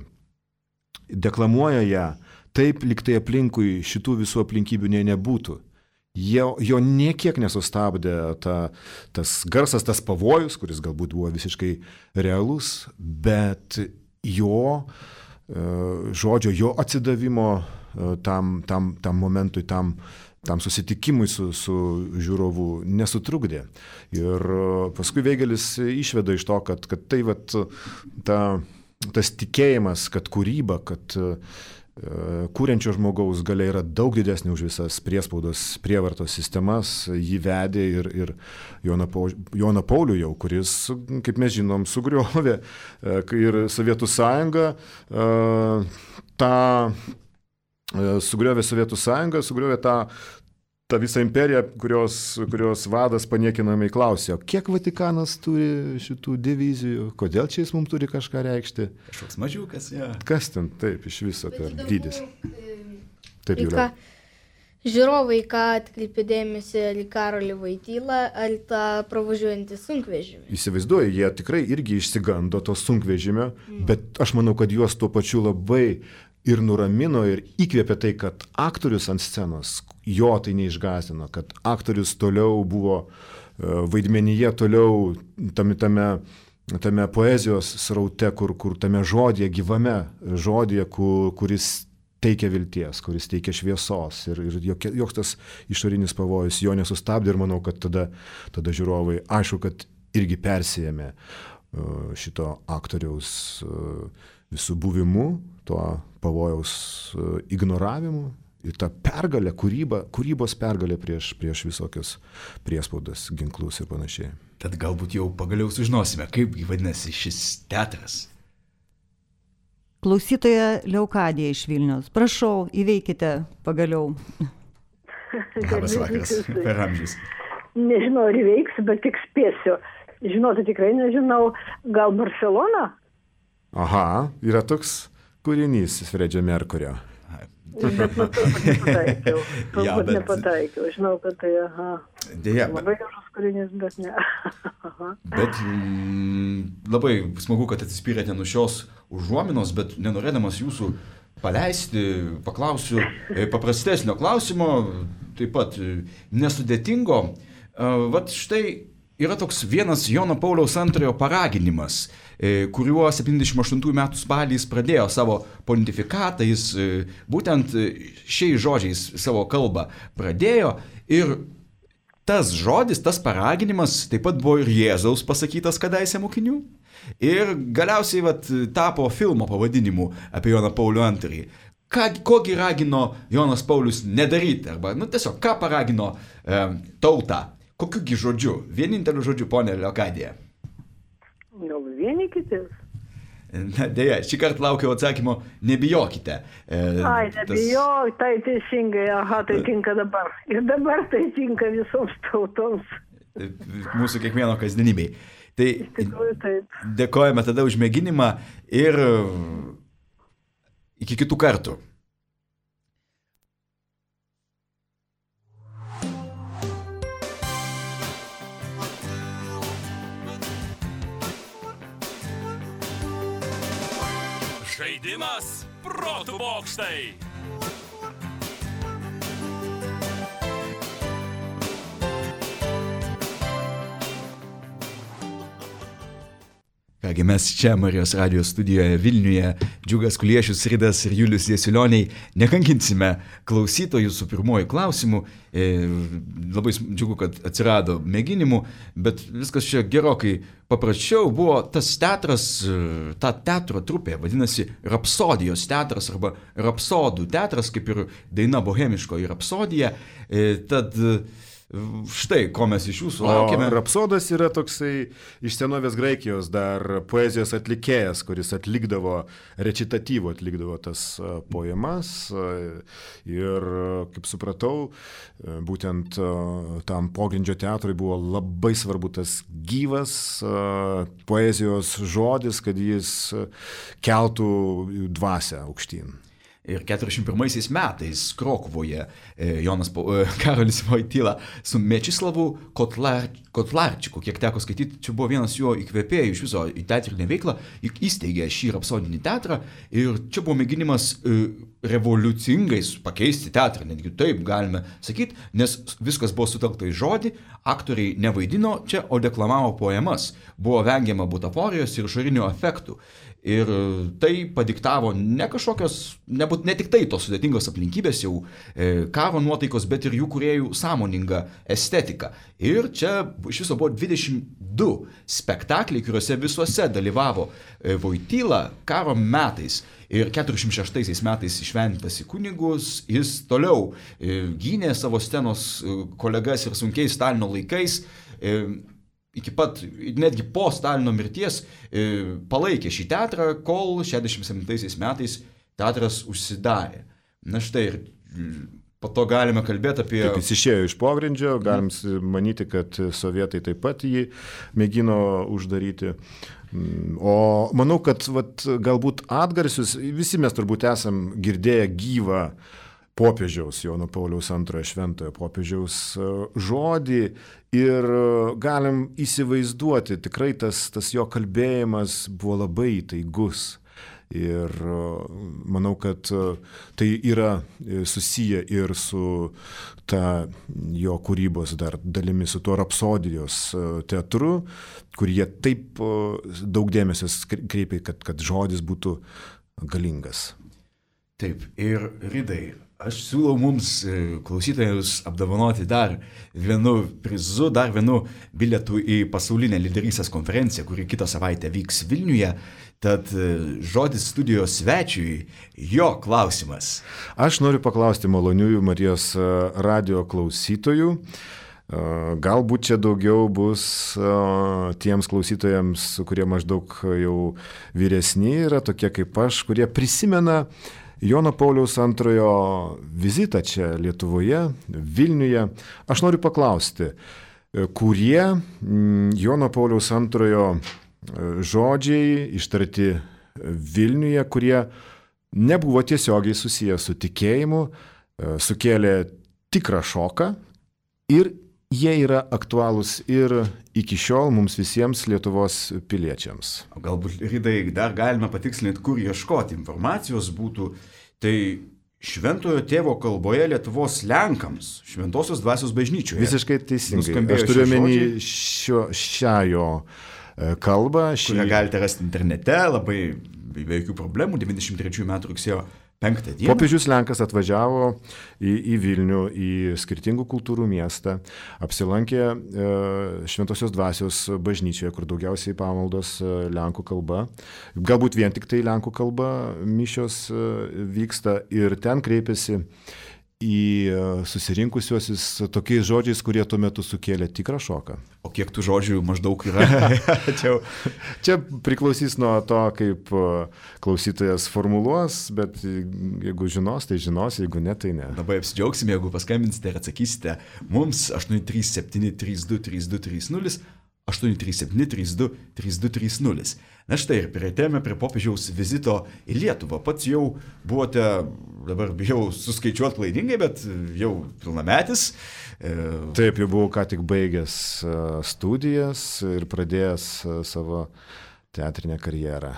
deklamuoja ją, taip lyg tai aplinkui šitų visų aplinkybių ne, nebūtų. Jo, jo niekiek nesustabdė ta, tas garsas, tas pavojus, kuris galbūt buvo visiškai realus, bet jo žodžio, jo atsidavimo tam, tam, tam momentui, tam, tam susitikimui su, su žiūrovu nesutrukdė. Ir paskui Veigelis išveda iš to, kad, kad tai vat, ta, tas tikėjimas, kad kūryba, kad kūrenčio žmogaus galia yra daug didesnė už visas priespaudos prievartos sistemas, jį vedė ir, ir Joną, Joną Paulių jau, kuris, kaip mes žinom, sugriovė ir Sovietų sąjungą, tą, sugriovė Sovietų sąjungą, sugriovė tą, tą visą imperiją, kurios, kurios vadas paniekinamai klausė, kiek Vatikanas turi šitų divizijų, kodėl čia jis mums turi kažką reikšti.
Kažkoks mažiukas, ja.
Kas ten taip iš viso per dydis? Taip,
Jūra. Žiūrovai, ką atkreipė dėmesį, ar į Karolį Voitylą, ar tą pravažiuojantį sunkvežimį?
Įsivaizduoju, jie tikrai irgi išsigando to sunkvežimio, mm. bet aš manau, kad juos tuo pačiu labai ir nuramino, ir įkvėpė tai, kad aktorius ant scenos, jo tai neišgąsdino, kad aktorius toliau buvo vaidmenyje, toliau tame, tame, tame poezijos sraute, kur, kur tame žodėje, gyvame žodėje, kur, kuris teikia vilties, kuris teikia šviesos ir, ir joks tas išorinis pavojus jo nesustabdė ir manau, kad tada, tada žiūrovai, aišku, kad irgi persijėmė šito aktoriaus visų buvimu, tuo pavojaus ignoravimu ir ta pergalė, kūryba, kūrybos pergalė prieš, prieš visokius priespaudas, ginklus ir panašiai.
Tad galbūt jau pagaliau sužinosime, kaip vadinasi šis teatras.
Klausytoja Leokadija iš Vilniaus. Prašau, įveikite pagaliau.
Labas vakaras, per amžius.
Nežinau, ar įveiksiu, bet tik spėsiu. Žinoti tikrai nežinau, gal Barcelona?
Aha, yra toks kūrinys Fredžio Merkurio.
Bet nu, turbūt nepataikiau. Turbūt
ja, bet...
nepataikiau. Žinau, kad tai, aha.
Dėja,
labai gražus kūrinys, bet ne.
Bet mm, labai smagu, kad atsispyrėte nuo šios užuominos, bet nenorėdamas jūsų paleisti, paklausiu paprastesnio klausimo, taip pat nesudėtingo. Vat štai yra toks vienas Jono Pauliaus antrojo paraginimas, kuriuo septyniasdešimt aštuntųjų metų spalį jis pradėjo savo pontifikatą, jis būtent šiais žodžiais savo kalbą pradėjo ir tas žodis, tas paraginimas taip pat buvo ir Jėzaus pasakytas kadaise mokinių ir galiausiai vat, tapo filmo pavadinimu apie Joną Paulių antrąjį. Ką, kogi ragino Jonas Paulius nedaryti, arba nu, tiesiog ką paragino e, tautą, kokiugi žodžiu, vieninteliu žodžiu, ponė Leokadija?
Gal vienykitės?
Na, dėja, šį kartą laukiau atsakymo, nebijokite. E,
Ai, nebijok, tas... tai teisingai, aha, tai tinka dabar. Ir dabar tai tinka visoms tautoms.
Mūsų kiekvieno kasdienybei. Tai
tikrųjų, taip.
Dėkojame tada už mėginimą ir iki kitų kartų.
Žaidimas protų bokštai.
Kągi mes čia Marijos radijos studijoje Vilniuje, Džiugas Kuliešius, Ridas ir Julius Jasiulioniai, nekankinsime klausytojų su pirmoju klausimu. E, labai džiugu, kad atsirado mėginimų, bet viskas čia gerokai paprasčiau. Buvo tas teatras, ta teatro trupė, vadinasi Rapsodijos teatras arba Rapsodų teatras, kaip ir daina bohemiškoji Rapsodija. E, tad štai, ko mes iš jūsų
O
laukiame.
rapsodas yra toksai iš senovės Graikijos dar poezijos atlikėjas, kuris atlikdavo, recitatyvo atlikdavo tas a, poemas. A, ir, a, kaip supratau, a, būtent a, tam pogrindžio teatrui buvo labai svarbu tas gyvas a, poezijos žodis, kad jis a, keltų dvasią aukštyn.
Ir keturiasdešimt pirmaisiais metais Krokuvoje e, Jonas Po- e, Karolis Voityla su Mečislavu Kotlar, Kotlarčiku, kiek teko skaityti, čia buvo vienas jo įkvėpėjų iš viso į teatrinę veiklą, juk įsteigė šį rapsodinį teatrą ir čia buvo mėginimas e, revoliucingai pakeisti teatrą, netgi taip galime sakyti, nes viskas buvo sutelkta į žodį, aktoriai nevaidino čia, o deklamavo poemas, buvo vengiama butaforijos ir išorinių efektų. Ir tai padiktavo ne kažkokios, nebūt, ne tik tai tos sudėtingos aplinkybės jau e, karo nuotaikos, bet ir jų kūrėjų sąmoningą estetiką. Ir čia iš viso buvo dvidešimt du spektakliai, kuriuose visuose dalyvavo e, Voityla karo metais. Ir keturiasdešimt šeštaisiais metais išventintas į kunigus, jis toliau e, gynė savo scenos e, kolegas ir sunkiais Stalino laikais. E, iki pat, netgi po Stalino mirties e, palaikė šį teatrą, kol šešiasdešimt septintaisiais metais teatras užsidarė. Na štai, ir po to galime kalbėti apie...
Taip, jis išėjo iš pogrindžio, galim manyti, kad sovietai taip pat jį mėgino uždaryti. O manau, kad vat, galbūt atgarsius, visi mes turbūt esam girdėję gyvą popiežiaus, Jono Pauliaus antrojo šventojo popiežiaus žodį ir galim įsivaizduoti, tikrai tas, tas jo kalbėjimas buvo labai įtaigus. Ir manau, kad tai yra susiję ir su ta jo kūrybos dar dalimi, su tuo rapsodijos teatru, kur jie taip daug dėmesio kreipia, kad, kad žodis būtų galingas.
Taip, ir Ridai, aš siūlau mums klausytojus apdovanoti dar vienu prizu, dar vienu bilietu į pasaulinę lyderystės konferenciją, kuri kitą savaitę vyks Vilniuje. Tad žodis studijos svečiui, jo klausimas.
Aš noriu paklausti maloniųjų Marijos radio klausytojų. Galbūt čia daugiau bus tiems klausytojams, kurie maždaug jau vyresni yra, tokie kaip aš, kurie prisimena Jono Pauliaus antrojo vizitą čia Lietuvoje, Vilniuje. Aš noriu paklausti, kurie Jono Pauliaus antrojo žodžiai ištarti Vilniuje, kurie nebuvo tiesiogiai susiję su tikėjimu, sukėlė tikrą šoką ir jie yra aktualūs ir iki šiol mums visiems Lietuvos piliečiams.
Galbūt, Ridai, dar galime patikslinti, kur ieškoti informacijos būtų. Tai Šventojo tėvo kalboje Lietuvos Lenkams, Šventosios dvasios bažnyčioje.
Visiškai teisingai. Aš turiu omeny šią jo kalbą. Šį...
Kurią galite rasti internete, labai be jokių problemų, devyniasdešimt trečiųjų metų rugsėjo penktą dieną.
Popiežius Lenkas atvažiavo į, į Vilnių, į skirtingų kultūrų miestą, apsilankė e, Šventosios dvasios bažnyčioje, kur daugiausiai pamaldos e, lenkų kalba. Galbūt vien tik tai lenkų kalba mišios e, vyksta ir ten kreipėsi į susirinkusiuosius tokiais žodžiais, kurie tuo metu sukėlė tikrą šoką.
O kiek tų žodžių maždaug yra?
čia, čia priklausys nuo to, kaip klausytojas formuluos, bet jeigu žinos, tai žinos, jeigu ne, tai ne.
Labai apsidžiaugsime, jeigu paskambinsite ir atsakysite mums aštuoni trys septyni trys du trys du trys nulis, aštuoni trys septyni trys du trys du trys nulis. Na štai ir prieitėme prie popiežiaus vizito į Lietuvą. Pats jau buvote, dabar bijau suskaičiuoti klaidingai, bet jau pilnametis.
Taip, jau buvau ką tik baigęs studijas ir pradėjęs savo teatrinę karjerą.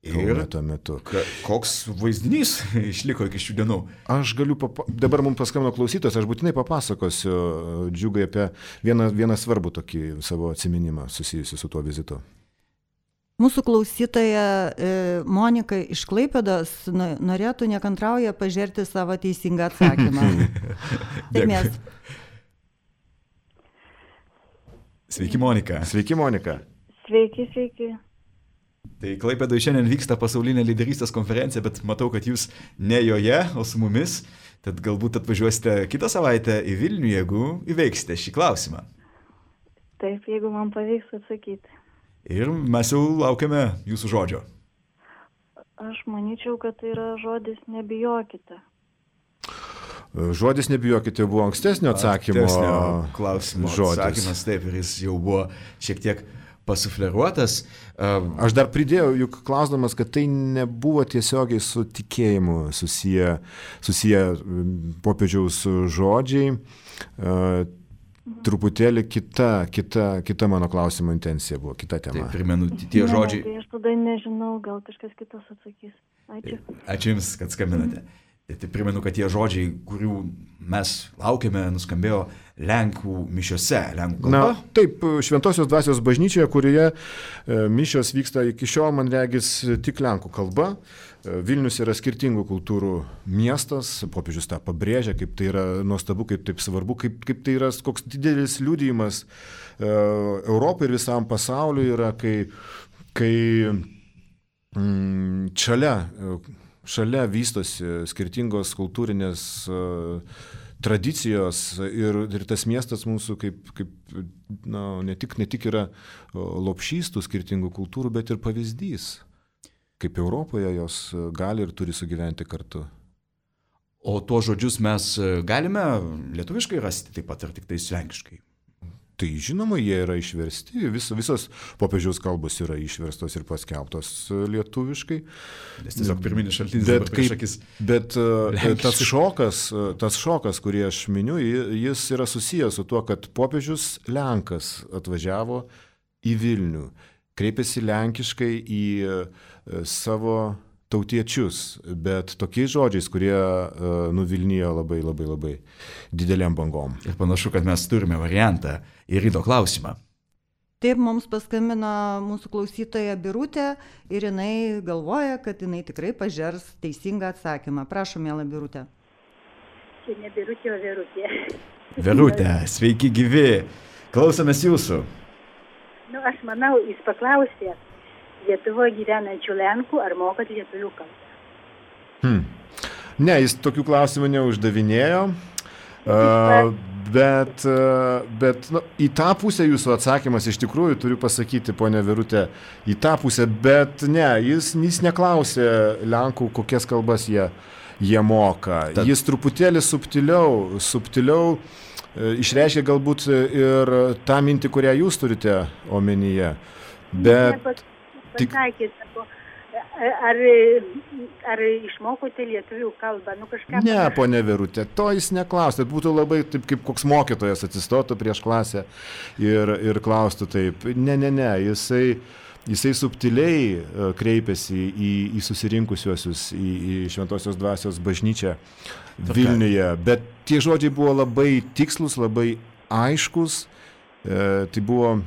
Ir tuo metu.
Koks vaizdinys išliko iki šių dienų?
Aš galiu, papa... dabar mums paskambino klausytojas, aš būtinai papasakosiu Džiugai apie vieną, vieną svarbų tokį savo atsiminimą susijusiu su tuo vizitu.
Mūsų klausytoja e, Monika iš Klaipėdos norėtų nekantrauja pažerti savo teisingą atsakymą. Taip mes.
Sveiki, Monika.
Sveiki, Monika.
Sveiki, sveiki.
Tai Klaipėdoje šiandien vyksta pasaulinė lyderystės konferencija, bet matau, kad jūs ne joje, o su mumis. Tad galbūt atvažiuosite kitą savaitę į Vilnių, jeigu įveiksite šį klausimą.
Taip, jeigu man pavyks atsakyti.
Ir mes jau laukiame jūsų žodžio.
Aš manyčiau, kad tai yra žodis nebijokite.
Žodis nebijokite buvo ankstesnio atsakymo
Ankstesnio klausimo
žodis.
atsakymas, taip, ir jis jau buvo šiek tiek pasufleruotas.
Aš dar pridėjau, juk klausdamas, kad tai nebuvo tiesiogiai su tikėjimu susiję, susiję popiežiaus žodžiai. Truputėlį kita, kita, kita mano klausimo intencija buvo, kita tema.
Taip, primenu, tie žodžiai.
Ne, tai aš tada nežinau, gal kažkas kitas atsakys. Ačiū.
Ačiū Jums, kad skambinate. Tai primenu, kad tie žodžiai, kurių mes laukiame, nuskambėjo Lenkų mišiose, Lenkų kalba.
Na, taip, Šventosios dvasios bažnyčioje, kurioje mišios vyksta iki šiol, man regis, tik Lenkų kalba. Vilnius yra skirtingų kultūrų miestas, popiežius tą pabrėžia, kaip tai yra nuostabu, kaip taip svarbu, kaip, kaip tai yra koks didelis liudijimas Europai ir visam pasauliu yra, kai, kai mm, šalia Šalia vystosi skirtingos kultūrinės uh, tradicijos ir, ir tas miestas mūsų kaip, kaip na, ne, tik, ne tik yra lopšys tų skirtingų kultūrų, bet ir pavyzdys, kaip Europoje jos gali ir turi sugyventi kartu.
O tuos žodžius mes galime lietuviškai rasti taip pat ar tik tai lenkiškai?
Tai žinoma, jie yra išversti, Vis, visos popiežiaus kalbos yra išverstos ir paskelbtos lietuviškai.
Nes tiesiog pirminis šaltinis
bet,
dabar prieš akis.
Bet tas šokas, tas šokas, kurį aš miniu, jis yra susijęs su tuo, kad popiežius Lenkas atvažiavo į Vilnių, kreipėsi lenkiškai į savo tautiečius, bet tokiais žodžiais, kurie uh, nuvilnijo labai, labai, labai dideliam bangom.
Ir panašu, kad mes turime variantą į ryto klausimą.
Taip, mums paskambino mūsų klausytoja Birutė ir jinai galvoja, kad jinai tikrai pažers teisingą atsakymą. Prašom, miela Birutė.
Čia ne Birutė, o Verutė.
Verutė, sveiki gyvi. Klausomės jūsų.
Nu, aš manau, jis paklausė Lietuvoje gyvenančių Lenkų, ar mokat lietuvių kalbą.
Hmm. Ne, jis tokių klausimų neuždavinėjo, uh, bet, uh, bet nu, į tą pusę jūsų atsakymas iš tikrųjų, turiu pasakyti, ponia Verutė, į tą pusę, bet ne, jis, jis neklausė Lenkų, kokias kalbas jie, jie moka. Tad... Jis truputėlį subtiliau, subtiliau uh, išreiškia galbūt ir tą mintį, kurią jūs turite omenyje. Bet...
Ne, Pasakė, sako, ar, ar išmokote lietuvių kalbą? Nu, kažką...
Ne, ponia Verutė, to jis neklausė. Būtų labai taip, kaip koks mokytojas atsistotų prieš klasę ir, ir klaustų taip. Ne, ne, ne, jisai, jisai subtiliai kreipėsi į, į susirinkusiuosius, į, į Šventosios dvasios bažnyčią Vilniuje. Bet tie žodžiai buvo labai tikslus, labai aiškus. E, tai buvo...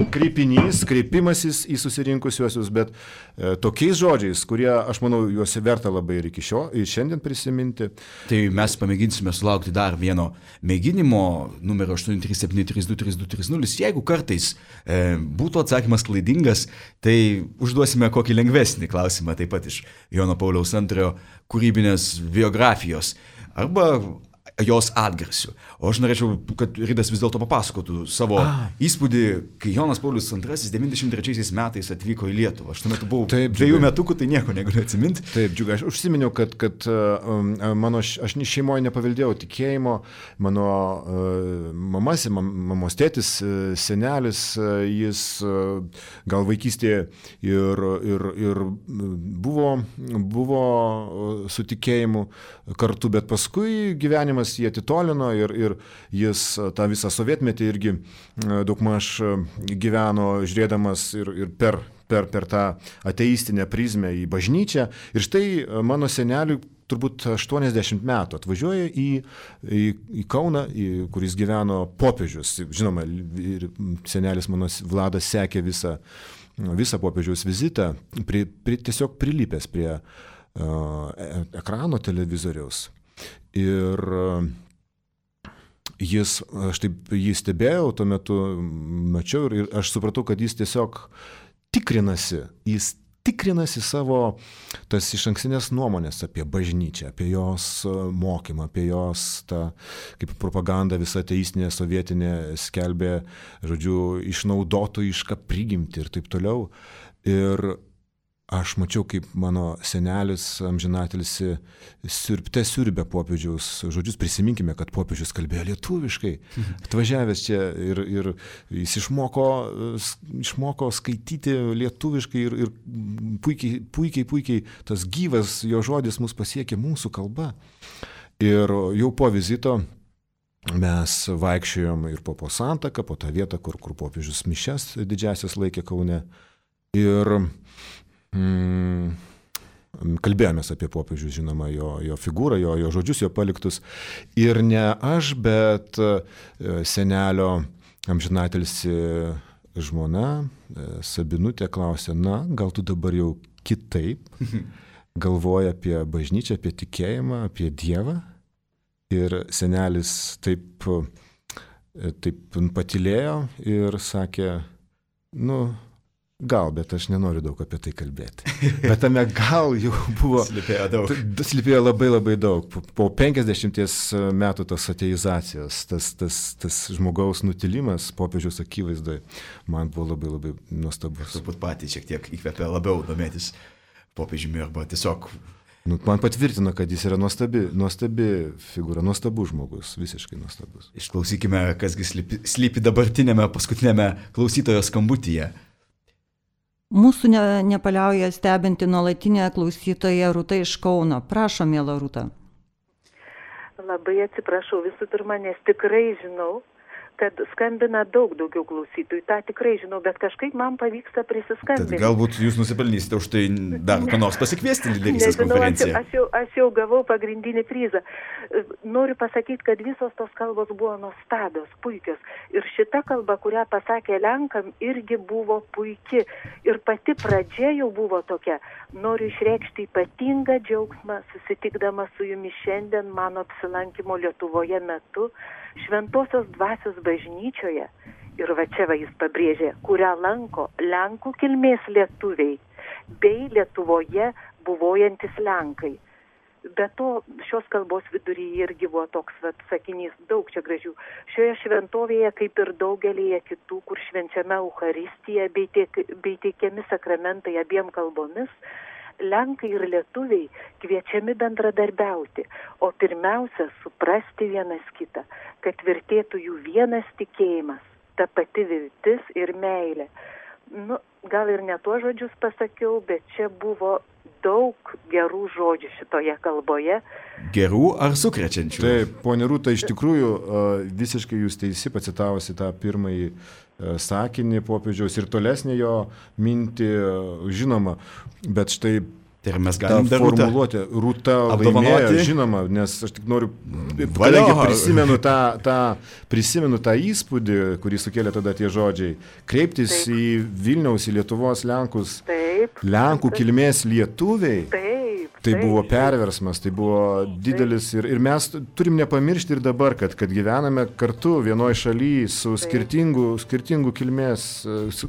kreipinys, kreipimasis į susirinkusiuosius, bet e, tokiais žodžiais, kurie, aš manau, juos verta labai ir iki šio, ir šiandien prisiminti.
Tai mes pamėginsime sulaukti dar vieno mėginimo, numero aštuoni trys septyni trys du trys du trys nulis. Jeigu kartais e, būtų atsakymas klaidingas, tai užduosime kokį lengvesnį klausimą, taip pat iš Jono Pauliaus antrojo kūrybinės biografijos. Arba jos atgarsių. O aš norėčiau, kad Ridas vis dėlto papasakotų savo A. įspūdį, kai Jonas Paulius antrasis devyniasdešimt trečiaisiais metais atvyko į Lietuvą. Aš tuo metu buvau Taip, dviejų metukų, tai nieko negaliu atsiminti.
Taip, džiugai, aš užsiminiau, kad, kad um, mano, aš šeimoje nepaveldėjau tikėjimo, mano uh, mamas, mamos tėtis, senelis, uh, jis uh, gal vaikystėje ir, ir, ir buvo, buvo su tikėjimu kartu, bet paskui gyvenimas jį atitolino ir, ir jis tą visą sovietmetį irgi daugmaž gyveno žiūrėdamas ir, ir per, per, per tą ateistinę prizmę į bažnyčią. Ir štai mano seneliui turbūt aštuoniasdešimt metų atvažiuoja į, į, į Kauną, į, kuris gyveno popiežius. Žinoma, ir senelis mano Vladas sekė visą, visą popiežiaus vizitą, pri, pri, tiesiog prilipęs prie uh, ekrano televizoriaus. Ir jis, aš taip jį stebėjau, tuo metu mačiau ir aš supratau, kad jis tiesiog tikrinasi, jis tikrinasi savo tas išankstinės nuomonės apie bažnyčią, apie jos mokymą, apie jos tą, kaip propaganda visa ateistinė, sovietinė skelbė, žodžiu, išnaudotojišką prigimtį ir taip toliau. Ir aš mačiau, kaip mano senelis amžinatilsi siurbte siurbė popiežiaus žodžius. Prisiminkime, kad popiežius kalbėjo lietuviškai. Atvažiavęs čia ir, ir jis išmoko, išmoko skaityti lietuviškai ir, ir puikiai, puikiai, puikiai tas gyvas jo žodis mus pasiekė mūsų kalba. Ir jau po vizito mes vaikščiojom ir po, po Santaką, po tą vietą, kur, kur popiežius mišias didžiasias laikė Kaune. Ir Mm, kalbėjomės apie popiežių, žinoma, jo, jo figūrą, jo, jo žodžius, jo paliktus. Ir ne aš, bet senelio amžinatilsi žmona, Sabinutė, klausė, na, gal tu dabar jau kitaip galvoji apie bažnyčią, apie tikėjimą, apie Dievą. Ir senelis taip, taip patylėjo ir sakė, nu, gal, bet aš nenoriu daug apie tai kalbėti. Bet tame gal jau buvo...
Slypėjo daug.
Slypėjo labai labai daug. Po penkiasdešimties metų tos ateizacijos, tas, tas, tas žmogaus nutilimas popiežiaus akivaizdoje, man buvo labai labai nuostabus.
Turbūt patys šiek tiek įkvėpė labiau domėtis popiežiumi arba tiesiog...
Nu, man patvirtino, kad jis yra nuostabi, nuostabi figūra, nuostabus žmogus, visiškai nuostabus.
Išklausykime, kasgi slypi, slypi dabartinėme paskutinėme klausytojo skambutyje.
Mūsų ne, nepaliauja stebinti nuolatinė klausytoja Rūta iš Kauno. Prašom, miela Rūta.
Labai atsiprašau visų pirma, nes tikrai žinau, kad skambina daug daugiau klausytojų. Ta tikrai žinau, bet kažkaip man pavyksta prisiskambinti.
Tad galbūt jūs nusipelnysite už tai dar ką nors pasikviesti lyderystės konferenciją.
Aš jau, aš jau gavau pagrindinį prizą. Noriu pasakyti, kad visos tos kalbos buvo nuostabios, puikios. Ir šita kalba, kurią pasakė Lenkam, irgi buvo puiki. Ir pati pradžia jau buvo tokia. Noriu išreikšti ypatingą džiaugsmą, susitikdama su jumis šiandien mano apsilankimo Lietuvoje metu, Šventosios dvasios bažnyčioje, ir va čia va jis pabrėžė, kurią lanko Lenkų kilmės lietuviai, bei Lietuvoje buvojantis Lenkai. Be to, šios kalbos viduryje irgi buvo toks vat, sakinys, daug čia gražių. Šioje šventovėje, kaip ir daugelėje kitų, kur švenčiame Eucharistiją bei, tiek, bei teikiami sakramentai abiem kalbomis, Lenkai ir lietuviai kviečiami bendradarbiauti, o pirmiausia suprasti vienas kitą, kad tvirtėtų jų vienas tikėjimas, ta pati viltis ir meilė. Nu, gal ir ne tuos žodžius pasakiau, bet čia buvo daug gerų žodžių šitoje kalboje.
Gerų ar sukrečiančių?
Taip, ponė Rūta, iš tikrųjų visiškai jūs teisi, pacitavusi tą pirmąjį sakinį popiežiaus ir tolesnį jo mintį, žinoma, bet štai
tai mes galim
tą formuluotę Rūta laimėjo, žinoma, nes aš tik noriu, kadangi prisimenu tą, tą, prisimenu tą įspūdį, kurį sukėlė tada tie žodžiai, kreiptis taip. Į Vilniaus, į Lietuvos Lenkus, taip. Lenkų kilmės lietuviai. Taip. Tai buvo perversmas, tai buvo didelis ir, ir mes turim nepamiršti ir dabar, kad, kad gyvename kartu vienoje šalyje su skirtingų, skirtingų kilmės,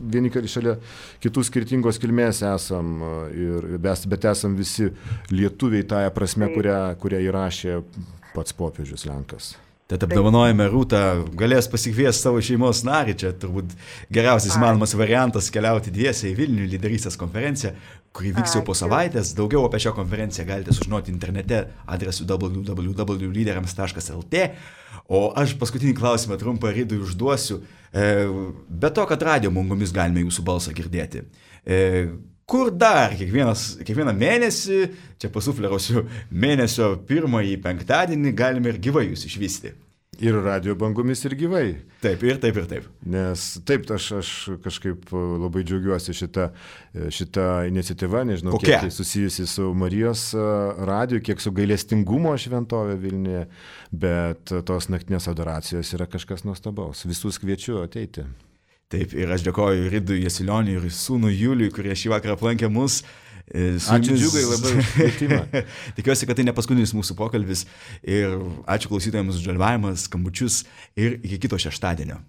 vieni šalia kitų skirtingos kilmės esam, ir, bet esam visi lietuviai tąją prasme, kurią, kurią įrašė pats popiežius Lenkas.
Tad apdovanojame Rūtą, galės pasikviesti savo šeimos narį, čia turbūt geriausias įmanomas variantas keliauti dviese į Vilnių lyderystės konferenciją, kuri vyks jau po savaitės. Daugiau apie šią konferenciją galite sužinoti internete adresu w w w taškas lyderiams taškas l t. O aš paskutinį klausimą trumpą Rydui užduosiu. Be to, kad radijo bangomis galime jūsų balsą girdėti. Kur dar kiekvienas, kiekvieną mėnesį, čia pasuflerosiu, mėnesio pirmąjį penktadienį galime ir gyvai jūs išvysti.
Ir radio bangomis ir gyvai.
Taip, ir taip, ir taip.
Nes taip, aš, aš kažkaip labai džiaugiuosi šitą, šitą iniciatyvą, nežinau,
kokia?
Kiek tai susijusi su Marijos radiju, kiek su gailestingumo šventovė Vilniuje, bet tos naktinės adoracijos yra kažkas nuostabaus. Visus kviečiu ateiti.
Taip, ir aš dėkoju Rydui Jasilioniui ir sūnui Juliui, kurie šį vakarą aplankė mus.
Ačiū Džiugai labai už kvietimą.
Tikiuosi, kad tai ne paskutinis mūsų pokalbis ir ačiū klausytojams už dalyvavimą, skambučius ir iki kito šeštadienio.